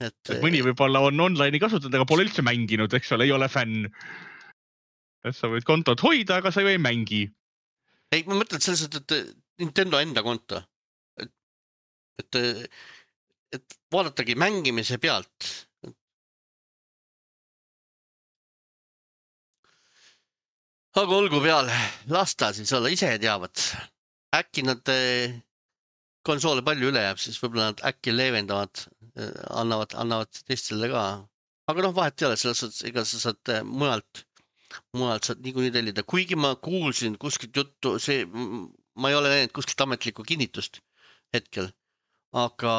Et, et mõni võib-olla on online'i kasutanud, aga pole üldse mänginud, eks ole, ei ole fänn. Et sa võid kontot hoida, aga sa ju ei mängi. Ei, ma mõtlen selles, et Nintendo enda konto. Et, et, et vaadatagi mängimise pealt. Aga olgu peale, lasta siis olla, ise teavad. Äkki nad konsoole palju üle jääb, siis võib-olla nad äkki leevendavad, annavad, annavad teistele ka. Aga noh, vahet ei ole, selles suhtes, ega sa saad mujalt, mujalt saad niikuinii tellida. Kuigi ma kuulsin kuskilt juttu, see... ma ei ole näinud kuskilt ametlikku kinnitust hetkel, aga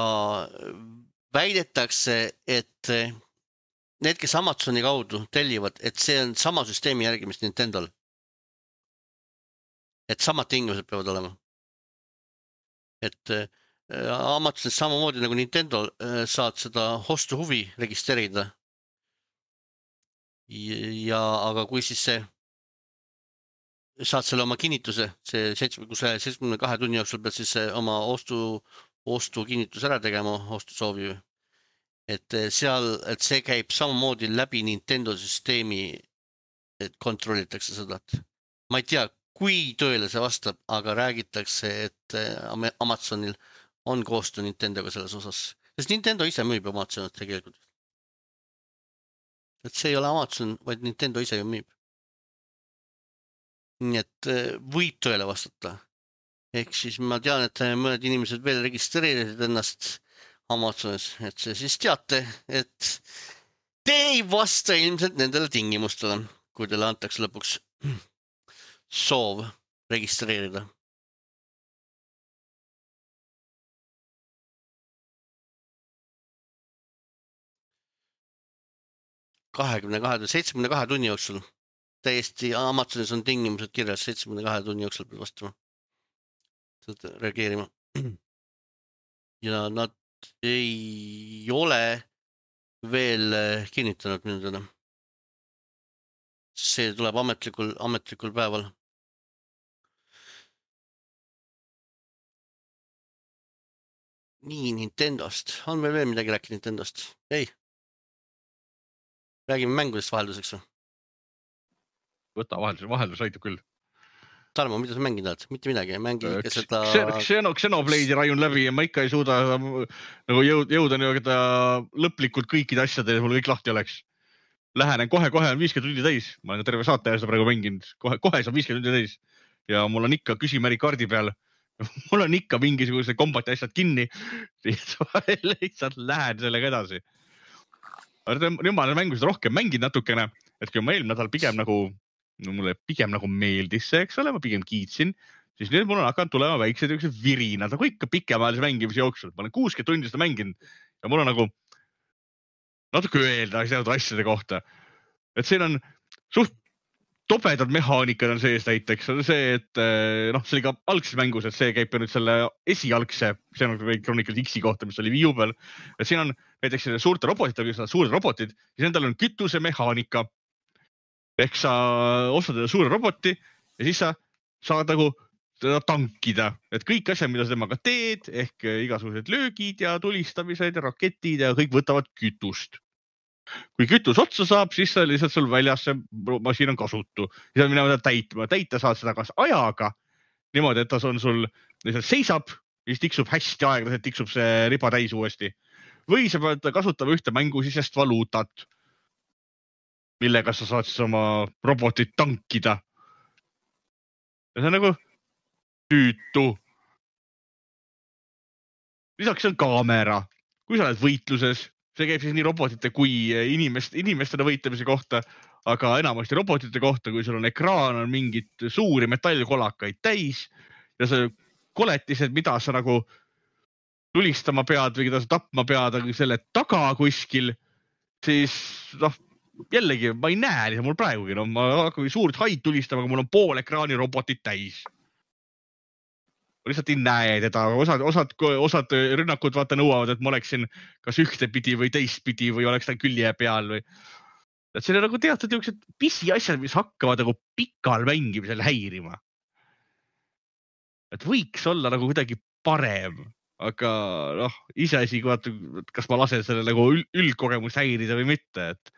väidetakse, et need, kes Amazoni kaudu tellivad, et see on sama süsteemi järgi, mis Nintendol. Et samad tingimused peavad olema. Et Amazonis samamoodi nagu Nintendo saad seda ostu huvi registreerida. Ja, aga kui siis see saad selle oma kinnituse, see seitsmekümne kahe tunni jooksul pead siis oma ostu, ostu kinnitus ära tegema, ostu soovi. Et seal, et see käib samamoodi läbi Nintendo süsteemi, et kontrollitakse seda. Ma ei tea, kui tõele see vastab, aga räägitakse, et Amazonil on koostöö Nintendoga selles osas. sest Nintendo ise müüb Amazonit tegelikult. Et see ei ole Amazon, vaid Nintendo ise ju müüb. Nii et võib tõele vastata. Ehk siis ma tean, et mõned inimesed veel registreerisid ennast Amazonis, et see siis teate, et te ei vasta ilmselt nendele tingimustele, kui teile antakse lõpuks soov registreerida. kahekümne kahe, seitsmekümne kahe tunni jooksul. Täiesti Amazonis on tingimused kirjas seitsmekümne kahe tunni jooksul peab vastama. Seda reageerima. Ja nad ei ole veel kinnitanud mindele. See tuleb ametlikul, ametlikul päeval. Nii, Nintendost. On meil veel midagi rääkida Nintendost? Ei. Räägime mängudest vahelduseks. Võta vaheldus, vaheldus aitab küll. Tarmo, mida sa mängid oled? Mitte midagi. Mängi ikka seda... Xenoblade'i rajun läbi ja ma ikka ei suuda nagu jõud, jõuda nii-öelda lõplikult kõikide asjade, mul kõik lahti oleks. Lähenen kohe-kohe on viiskümmend tundi täis. Ma olen terve saate ajas praegu mänginud. Kohe, kohe saab viiskümmend tundi täis. Ja mul on ikka küsimärgi kaardi peal. Mul on ikka mingisuguse kombati asjad kinni. Lihtsalt lähen sellega edasi. Nüüd ma olen mängused rohkem mängid natukene, et kui ma eelmine nädal pigem nagu, no mulle pigem nagu meeldis see, eks ole, ma pigem kiitsin, siis nüüd mul on hakanud tulema väiksed üksed virinad, nagu ikka pikemaajalise mängimise jooksul. Ma olen kuuskümmend tundi seda mänginud ja mul on nagu natuke öelda asjade kohta. Et siin on suht tobedad mehaanikad on sees näiteks. On see, et noh, see oli ka algses mängus, et see käib nüüd selle esialgse, see on Chronicle X-i kohta, mis oli Wii U peal. Et siin on näiteks suurte robotid, suured robotid, siis nendel on kütuse mehaanika. Ehk sa ostad suure roboti ja siis sa saad nagu teda tankida. Et kõik asjad, mida sa temaga teed, ehk igasugused löögid ja tulistamised ja raketid ja kõik võtavad kütust. Kui kütus otsa saab, siis lihtsalt sul väljas see masiin on kasutu. Siis on minema täitma. Täita saad seda kas ajaga, niimoodi, et ta on sul lihtsalt seisab, siis tiksub hästi aeglaselt, tiksub see riba täis uuesti. Või sa pead kasutama ühte mängusisest valuutat, millega sa saad siis oma robotit tankida. Ja see on nagu tüütu. Lisaks on kaamera. Kui sa oled võitluses, see käib siis nii robotite kui inimest, inimestele võitlemise kohta, aga enamasti robotite kohta, kui sul on ekraan, on mingid suuri metallkolakaid täis ja see koletised, mida sa nagu tulistama pead või keda sa tapma pead, aga selle taga kuskil, siis noh, jällegi ma ei näe lihtsalt mul praegugi, no ma hakkan suurt haid tulistama, aga mul on pool ekraani robotit täis. Ma lihtsalt ei näe teda, osad, osad, osad rünnakud vaata nõuavad, et ma oleksin kas ühtepidi või teistpidi või oleks ta külje peal või. Et see on nagu teatud jõuksed pisi asjad, mis hakkavad nagu pikal mängimisel häirima. Et võiks olla nagu kuidagi parem, aga noh, iseasi, kas ma lasen selle nagu üldkogemust häirida või mitte. Et,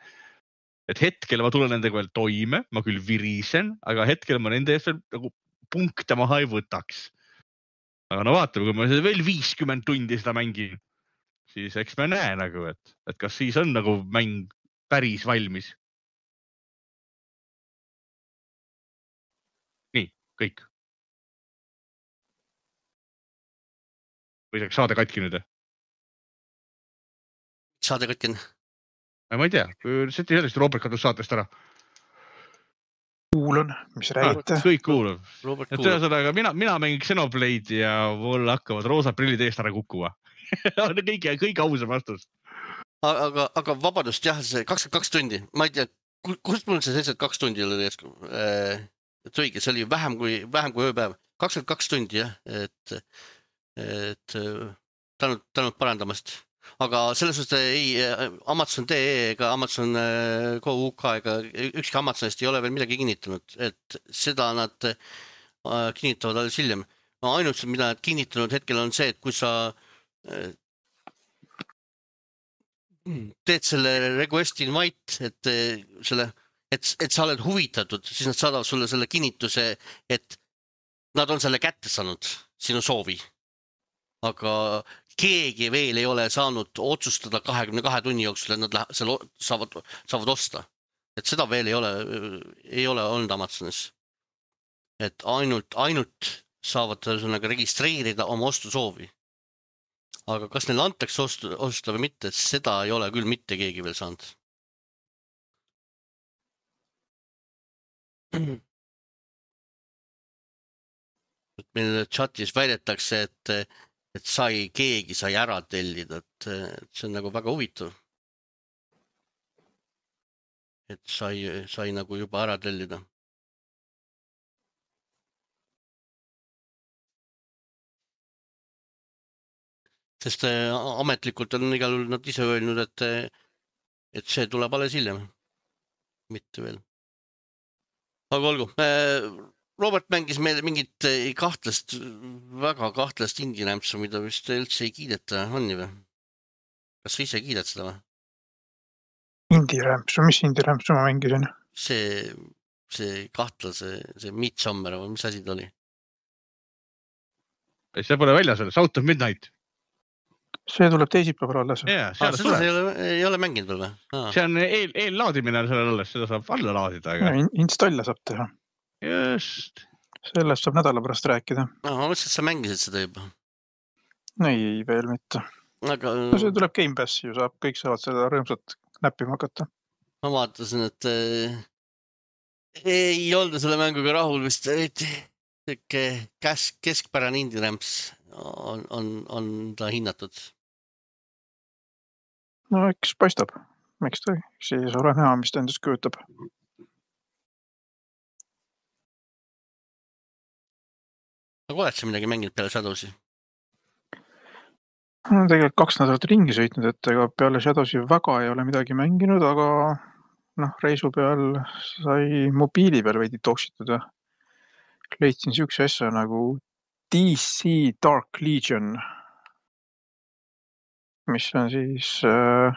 et hetkel ma tulen nendega veel toime, ma küll virisen, aga hetkel ma nende eest veel nagu punkte maha ei võtaks. Aga no vaatame, kui ma veel viiskümmend tundi seda mängin, siis eks me näe nagu, et, et kas siis on nagu mäng päris valmis. Nii, kõik. Või saaks saade katki nüüd? Saade katkin? Ma ei tea, seti sellest Robert kadus saatest ära. Kuulan, mis räägite? Ah, kõik kuulab. Et ühesõnaga, mina, mina mängin Xenoblade ja mul hakkavad roosad prillid eest ära kukkuma. kõige, kõige ausam vastus. Aga, aga vabadust, jah, see kakskümmend kaks tundi. Ma ei tea, kust mul see seitsekümmend kaks tundi oli jäsku? Et õige, see oli vähem kui, vähem kui ööpäev. kakskümmend kaks tundi, jah. Et, et tänud, tänud parandamast. Aga selles suhtes ei, Amazon D E ega Amazon Go U K ega ükski Amazonist ei ole veel midagi kinnitanud, et seda nad kinnitavad alles hiljem. Ainult, mida nad kinnitanud hetkel on see, et kui sa teed selle request invite, et, selle, et, et sa oled huvitatud, siis nad saadavad sulle selle kinnituse, et nad on selle kätte saanud, sinu soovi. Aga keegi veel ei ole saanud otsustada kahekümne kahe tunni jooksul, et nad lähe, seal saavad, saavad osta. Et seda veel ei ole, ei ole olnud Amazonis. Et ainult, ainult saavad sõnaga registreerida oma ostusoovi. Aga kas neil antakse ostu, osta või mitte, seda ei ole küll mitte keegi veel saanud. Et meil chatis väidetakse, et, et sai, keegi sai ära tellida, et, et see on nagu väga huvitav. Et sai, sai nagu juba ära tellida. Sest ametlikult on igal juhul nad ise öelnud, et, et see tuleb alles hiljem. Mitte veel. Aga olgu. Robert mängis meile mingit kahtlast, väga kahtlast indie-rämpsu, mida vist üldse ei kiideta, on nii või? Kas sa ise kiidad seda või? Indie-rämpsu, mis indie-rämpsu ma mängisin? See, see kahtlase, see Midsommar või mis asi ta oli? See pole väljas veel, South of Midnight. See tuleb teisipäeval alles. Yeah, ah, seda ei ole, ei ole mänginud veel või? Ah. See on eel, eellaadimine sellel alles, seda saab alla laadida. Aga... Ja, installa saab teha. Just. Sellest saab nädala pärast rääkida. No, ma mõtlesin, et sa mängisid seda juba. Ei, veel mitte. Aga... No, see tuleb Game Passi ju, saab, kõik saavad seda rõõmsat näppima hakata. Ma vaatasin, et äh, ei olda selle mänguga rahul vist, et kesk, keskpärane indie-rämps on, on, on ta hinnatud. No eks paistab. Miks ta siis ole näha, mis ta endast kujutab. Aga oled sa midagi mänginud peale Shadowsi? No, tegelikult kaks nädalat ringi sõitnud, et ega peale Shadowsi väga ei ole midagi mänginud, aga noh, reisu peal sai mobiili peal veidi toksitud ja leidsin siukse asja nagu D C Dark Legion, mis on siis äh,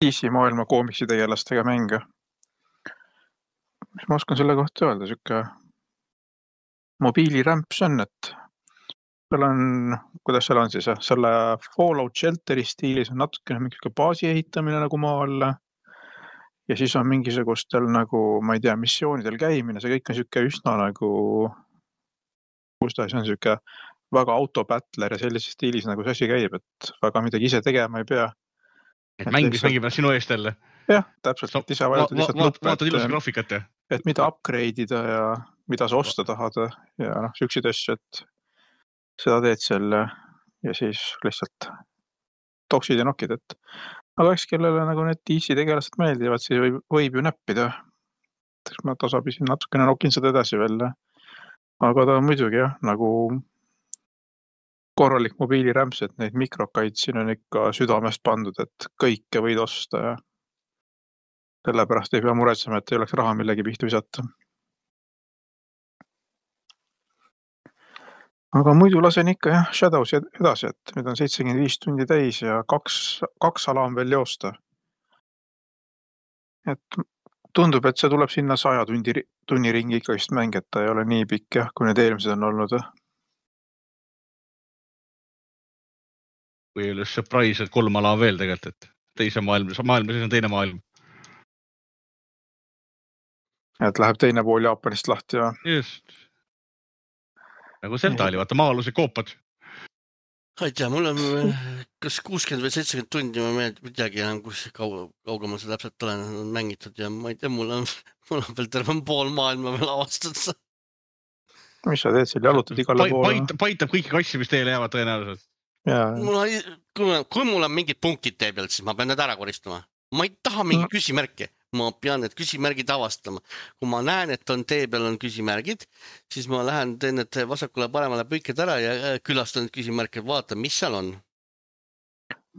D C maailma koomiksi tegelastega mänge. Mis ma oskan selle kohta öelda, siuke mobiilirämps on, et seal on, kuidas seal on siis, selle Fallout Shelteri stiilis on natukene mingi baasi ehitamine nagu maa alla ja siis on mingisugustel nagu, ma ei tea, missioonidel käimine, see kõik on siuke üsna nagu, kus ta see on siuke väga autobattler ja sellises stiilis nagu see asi käib, et väga midagi ise tegema ei pea. Et mängis lihtsalt... mängib sinu eest jälle? Jah, täpselt, et ise vajutad lihtsalt nuppe, vaatad ilusa graafikat ja? Et mida upgrade'ida ja mida sa osta tahad ja noh, siukseid asju, et seda teed selle ja siis lihtsalt toksid ja nokid, et aga eks kellele nagu need D C tegelased meeldivad, siis võib, võib ju näppida. Ma tasapisi natukene nokin seda edasi veel. Aga ta on muidugi jah, nagu korralik mobiilirämps, et neid mikrokaid siin on ikka südamest pandud, et kõike võid osta ja sellepärast ei pea muretsema, et ei oleks raha millegi pihta visata. Aga muidu lasen ikka jah, Shadows edasi, et nüüd on seitsekümmend viis tundi täis ja kaks, kaks ala on veel joosta. Et tundub, et see tuleb sinna saja tundi, tunni ringi ikka vist mäng, et ta ei ole nii pikk jah, kui need eelmised on olnud. Kui ei ole surprise, et kolm ala veel tegelikult, et teise maailm, maailm, siis on teine maailm. Et läheb teine pool Jaapanist lahti ja... Just. Nagu Zelda oli, vaata maaluse koopad. Ei tea, mul on kas kuuskümmend või seitsekümmend tundi, ma meeld, midagi enam, kus kaug, kaugemal see täpselt olen mängitud ja ma ei tea, mul on, mul on veel terve pool maailma veel avastatud. Mis sa teed seal, jalutad igale poole? Paitab, paitab kõiki kassi, mis teile jäävad tõenäoliselt. Mul on, kui, kui mul on mingid punktid tee pealt, siis ma pean need ära koristama. Ma ei taha mingi küsimärki. Ma pean need küsimärgid avastama. Kui ma näen, et on tee peal on küsimärgid, siis ma lähen teen need vasakule paremale põiked ära ja külastan need küsimärkid, vaatan, mis seal on.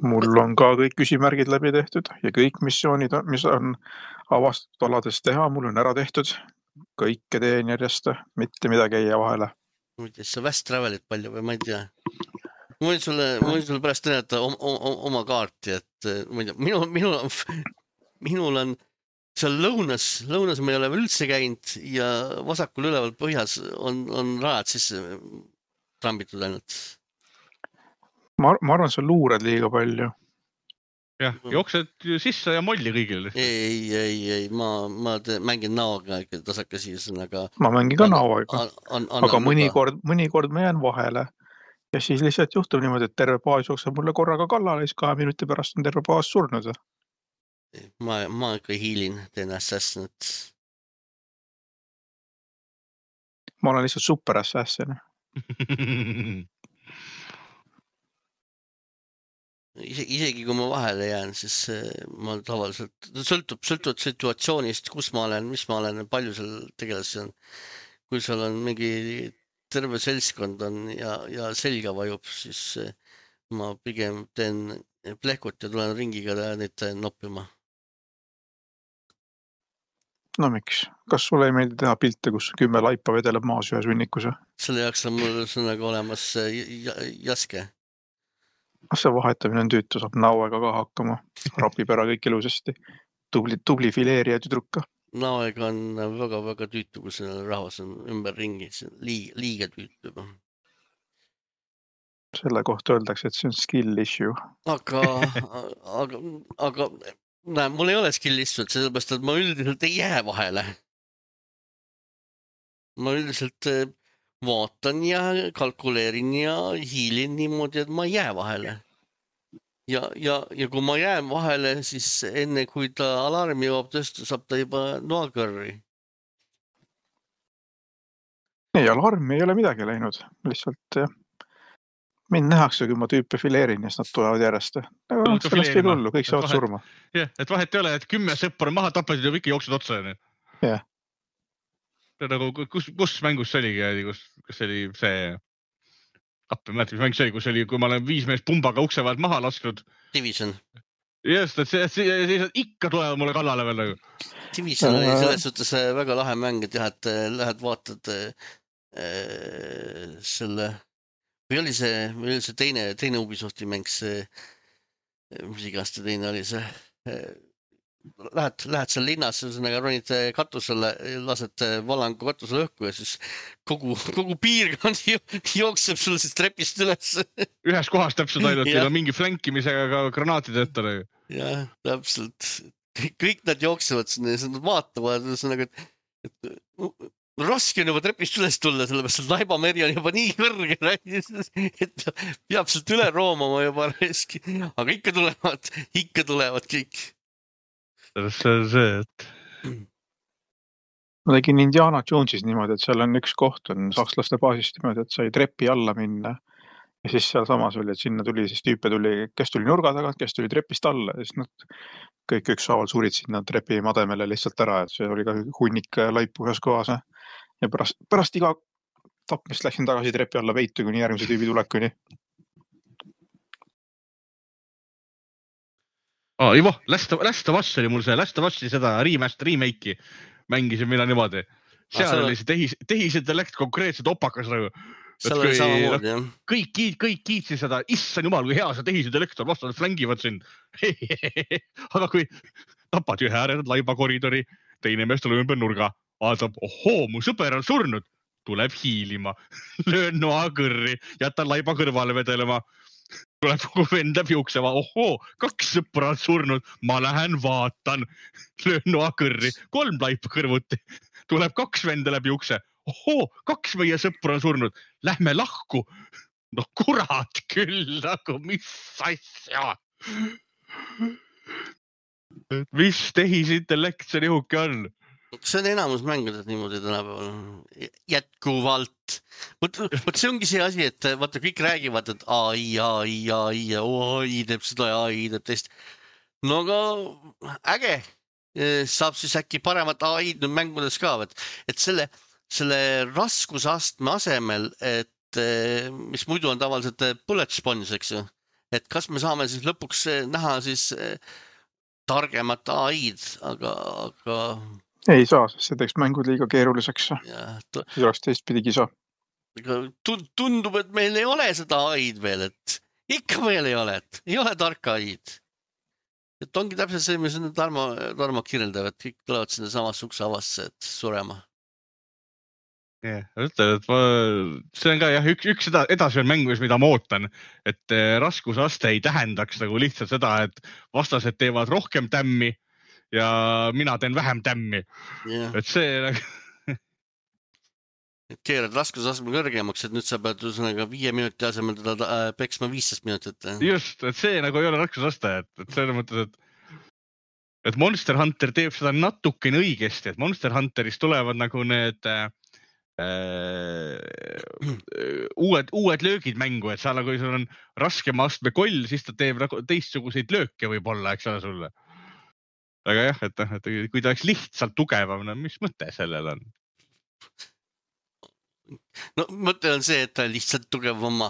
Mul on ka kõik küsimärgid läbi tehtud ja kõik missioonid, mis on avastatud alades teha, mul on ära tehtud. Kõike teen järjest, mitte midagi ei jää vahele. Mõttes sa Vast Travelit palju või ma ei tea? Ma võin sulle, ma võin sulle pärast näidata oma, oma, oma kaarti, et ma ei tea, minul, minul on, minul on seal lõunas, lõunas ma ei ole üldse käinud ja vasakul üleval põhjas on, on rajad sisse trambitud ainult. Ma, ma arvan, sa luurad liiga palju. jah, jooksed sisse ja molli kõigile. ei, ei, ei, ma, ma te, mängin näoga ikka tasakasi, aga ma mängin ka näoaega, aga mõnikord, mõnikord ma jään vahele ja siis lihtsalt juhtub niimoodi, et terve baas jookseb mulle korraga kallale ja siis kahe minuti pärast on terve baas surnud. Ma, ma ikka hiilin, teen assassinat. Ma olen lihtsalt super assassin. Isegi kui ma vahele jään, siis ma tavaliselt, sõltub, sõltub situatsioonist, kus ma olen, mis ma olen, palju seal tegelasi on. Kui seal on mingi terve seltskond on ja, ja selga vajub, siis ma pigem teen plehkut ja tulen ringiga neid noppima. No miks? Kas sulle ei meeldi teha pilte, kus kümme laipa vedeleb maas ühes hunnikus? Selle jaoks on mul sõnaga olemas jaske. See vahetamine on tüütu, saab näoega ka hakkama. Rapib ära kõik ilusasti. Tubli, tubli fileerija tüdruka. Näoega on väga-väga tüütu, kui selle rahvas on ümber ringi. Liiga, liiga tüütu. Selle kohta öeldakse, et see on skill issue. Aga, aga, aga näe, mul ei ole skill issue, sellepärast, et ma üldiselt ei jää vahele. Ma üldiselt vaatan ja kalkuleerin ja hiilin niimoodi, et ma ei jää vahele. Ja, ja, ja kui ma jään vahele, siis enne kui ta alarmi jõuab tõsta, saab ta juba noakõrri. Ei, alarmi ei ole midagi läinud. Lihtsalt mind nähakse, kui ma tüüpe fileerin ja siis nad tulevad järjest. Sellest ei tullu, kõik saavad surma. Jah, et vahet ei ole, et kümme sõppar maha tapasid ja ikka jooksud otsa. Jah. Nagu, kus, kus mängus see oligi, kus, kus oli see appi, ma mäletan, mis mäng see oli, kus oli, kui ma olen viis meest pumbaga ukse vahelt maha lasknud. Division. Just, et see, see, see ikka tulevad mulle kallale veel. Division oli selles suhtes väga lahe mäng, et jah, et lähed vaatad äh, selle, või oli see, või oli see teine, teine Ubisofti mäng, see, mis iganes ta teine oli see, äh, Lähed, lähed seal linnas, ühesõnaga ronid katusele, lased valangu katusele õhku ja siis kogu, kogu piirkond jookseb sulle siis trepist üles. Ühes kohas täpselt ainult, ja on mingi flankimisega ka granaatid ette. Jah, täpselt. Kõik nad jooksevad sinna ja nad vaatavad, ühesõnaga, et, et raske on juba trepist üles tulla, sellepärast, et laibameri on juba nii kõrge, et peab sealt üle roomama juba reski. Aga ikka tulevad, ikka tulevad kõik. See on see, et... Ma tegin Indiana Jonesis niimoodi, et seal on üks koht, on sakslaste baasist niimoodi, et sai trepi alla minna. Ja siis seal samas oli, et sinna tuli, siis tüüpe tuli, kes tuli nurga tagant, kes tuli trepist alla. Ja siis nad kõik ükshaaval surid sinna trepi mademele lihtsalt ära, et see oli ka hunnik laipu ühes kohas. Ja pärast, pärast iga tapmist läksin tagasi trepi alla veitu, kuni järgmise tüübi tulekuni. Oh, Ivo, Last of Us oli mul see, Last of Us'i seda remaster, remake'i mängisin mina niimoodi. Seal ah, oli see tehis, tehisintellekt konkreetselt opakas. Seal oli samamoodi, jah. Kõik, kiit, kõik kiitsid seda, issand jumal, kui hea see tehisintellekt on, vastu nad flängivad siin. Aga kui tapad ühe äärenud laiba koridori, teine mees tuleb ümber nurga, vaatab, ohoo, mu sõber on surnud, tuleb hiilima, löön noa kõrri, jätan laiba kõrvale vedelema. Tuleb kogu vend läbi ukseva, ohoo, kaks sõpra on surnud, ma lähen vaatan, löön noa kõrri, kolm laipa kõrvuti, tuleb kaks venda läbi ukse, ohoo, kaks meie sõpra on surnud, lähme lahku, no kurat küll, nagu mis asja, mis tehisintellekt see nihuke on? See on enamus mängudes niimoodi tänapäeval jätkuvalt. Võt, võt see ongi see asi, et vaata, kõik räägivad, et A I, A I, A I, A I teeb seda ja A I teeb teist. No aga äge. Saab siis äkki paremat A I-d mängudes ka, et, et selle, selle raskusastme asemel, et mis muidu on tavaliselt bullet sponge, eks ju. Et kas me saame siis lõpuks näha siis targemat A I-d, aga... aga... Ei saa, see teeks mängud liiga keeruliseks. See oleks teistpidi kisa. Tundub, et meil ei ole seda A I-d veel, et ikka meil ei ole, et ei ole tarka A I-d. Et ongi täpselt see, mis on Tarmo, Tarmo kirjeldab, et kõik tulevad sinna samas ukse avasse, et surema. Yeah, ütlen, et ma, see on ka jah, üks, üks seda edasi on mängus, mida ma ootan, et raskusaste ei tähendaks nagu lihtsalt seda, et vastased teevad rohkem tämmi ja mina teen vähem tämmi. Yeah. Et see keerad raskusastme kõrgemaks, et nüüd sa pead ühesõnaga viie minuti asemel teda peksma viisteist minutit. Just, et see nagu ei ole raskusaste, et, et selles mõttes, et, et Monster Hunter teeb seda natukene õigesti, et Monster Hunteris tulevad nagu need äh, uued, uued löögid mängu, et sa nagu, kui sul on raskema astme koll, siis ta teeb nagu teistsuguseid lööke võib-olla, eks ole sulle. Aga jah, et, et kui ta oleks lihtsalt tugevam, no mis mõte sellel on? No mõte on see, et ta lihtsalt tugev oma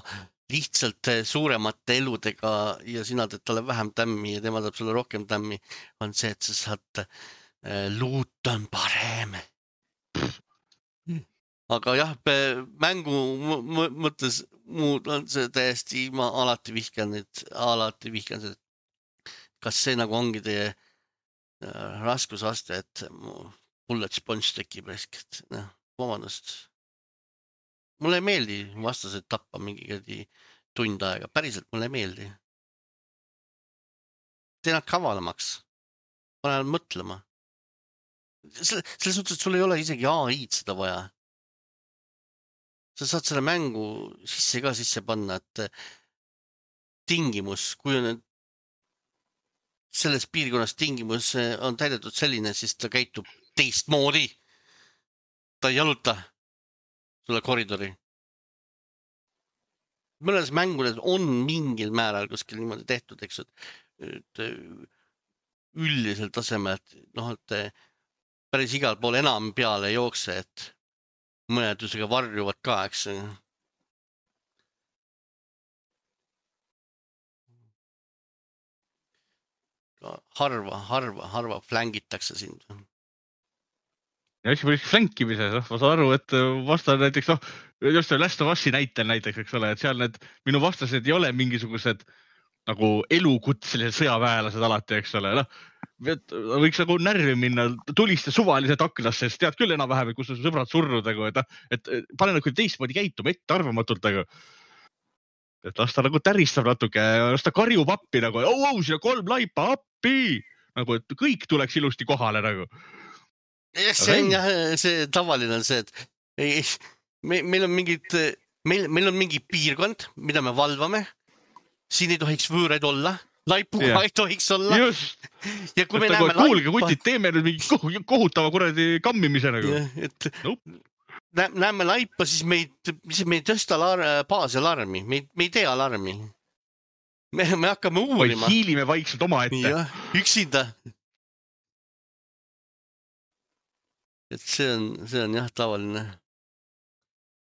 lihtsalt suuremate eludega ja sina teed talle vähem tämmi ja tema teeb sulle rohkem tämmi, on see, et sa saad luut on parem. Aga jah, mängu mõttes muud on see täiesti, ma alati vihkan neid, alati vihkan see, kas see nagu ongi teie raskusaste, et bullet sponge tekib esk, et noh, vabandust. Mulle ei meeldi vastased tappa mingi tund aega. Päriselt mulle ei meeldi. Tee nad kavalamaks. Pane nad mõtlema. Selles suhtes, et sul ei ole isegi A I-d seda vaja. Sa saad selle mängu sisse ka sisse panna, et tingimus, kui on selles piirkonnas tingimus on täidetud selline, siis ta käitub teistmoodi. Ta ei jaluta sulle koridori. Mõnes mängudes on mingil määral kuskil niimoodi tehtud, eks, et üldisel tasemel, et noh, et päris igal pool enam peale ei jookse, et mõnedusega varjuvad ka, eks. Harva, harva, harva flängitakse sind. Ja eks võiks flankimises, ma saan aru, et vastan näiteks, noh, just Last of Us'i näitel näiteks, eks ole, et seal need minu vastased ei ole mingisugused nagu elukutselised sõjaväelased alati, eks ole, noh, võiks nagu närvi minna, tuliste suvaliselt aklasse, sest tead küll enam-vähem, kus on sõbrad surnud, et, et pane nagu teistmoodi käituma ette arvamatult, et las ta nagu täristab natuke, las ta karjub appi nagu, au, au, siin on kolm laipa appi, nagu, et kõik tuleks ilusti kohale nagu. See on jah, see tavaline on see, et ei, me, meil on mingid, meil, meil on mingi piirkond, mida me valvame. Siin ei tohiks võõraid olla, laipuga yeah. ei tohiks olla. Just. Ja kui me et näeme nagu, kuulge, kutid, teeme nüüd mingi kohutava kuradi kammimise nagu. Ja, et nope. näeme laipa, siis me ei, siis me ei tõsta alar, baasi alarmi, me ei, me ei tee alarmi. Me, me hakkame uurima. Või hiilime vaikselt oma ette. Ja, üksinda. Et see on, see on jah tavaline.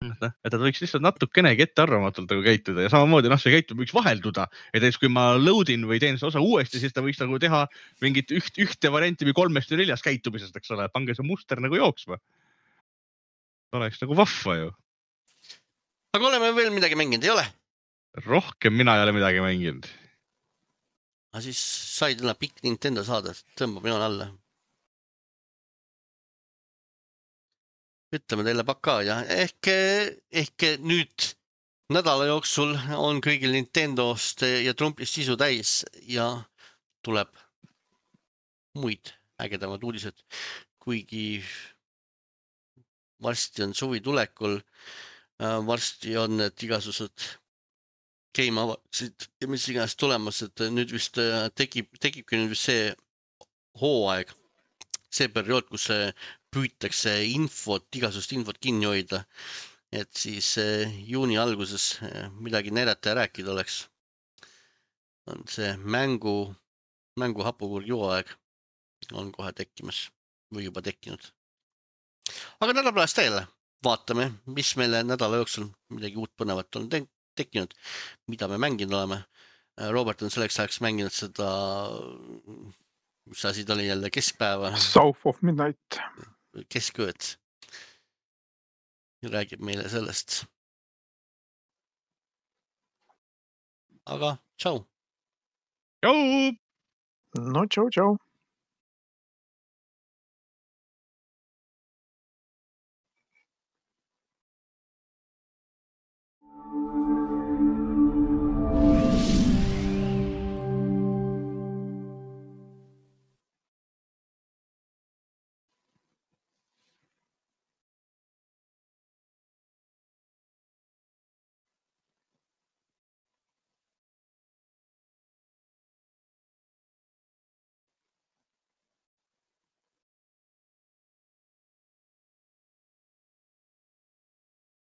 Et ta võiks lihtsalt natukenegi ette arvamatult nagu käituda ja samamoodi noh, see käitumine võiks vahelduda. Et ees, kui ma loadin või teen see osa uuesti, siis ta võiks nagu teha mingit üht, ühte varianti või kolmest või neljast käitumisest, eks ole. Pange see muster nagu jooksma. Oleks nagu vahva ju. Aga oleme veel midagi mänginud, ei ole? Rohkem mina ei ole midagi mänginud. Aga siis sai täna pikk Nintendo saada, tõmbab joon alla. Ütleme teile pakka ja ehk, ehk nüüd nädala jooksul on kõigil Nintendost ja Trumpist sisu täis ja tuleb muid ägedamad uudised, kuigi varsti on suvi tulekul, varsti on need igasugused Game Awardsid ja mis iganes tulemas, et nüüd vist tekib, tekibki nüüd vist see hooaeg, see periood, kus see püütakse infot, igasugust infot kinni hoida, et siis juuni alguses midagi näidata ja rääkida oleks. On see mängu, mängu hapukurgi hooaeg on kohe tekkimas või juba tekkinud. Aga nädala pärast teile vaatame, mis meile nädala jooksul midagi uut põnevat on tekkinud, mida me mänginud oleme. Robert on selleks ajaks mänginud seda, mis asi ta oli jälle keskpäeva. South of Midnight. Keskööd. Räägib meile sellest. Aga tšau. Tšau. No tšau, tšau.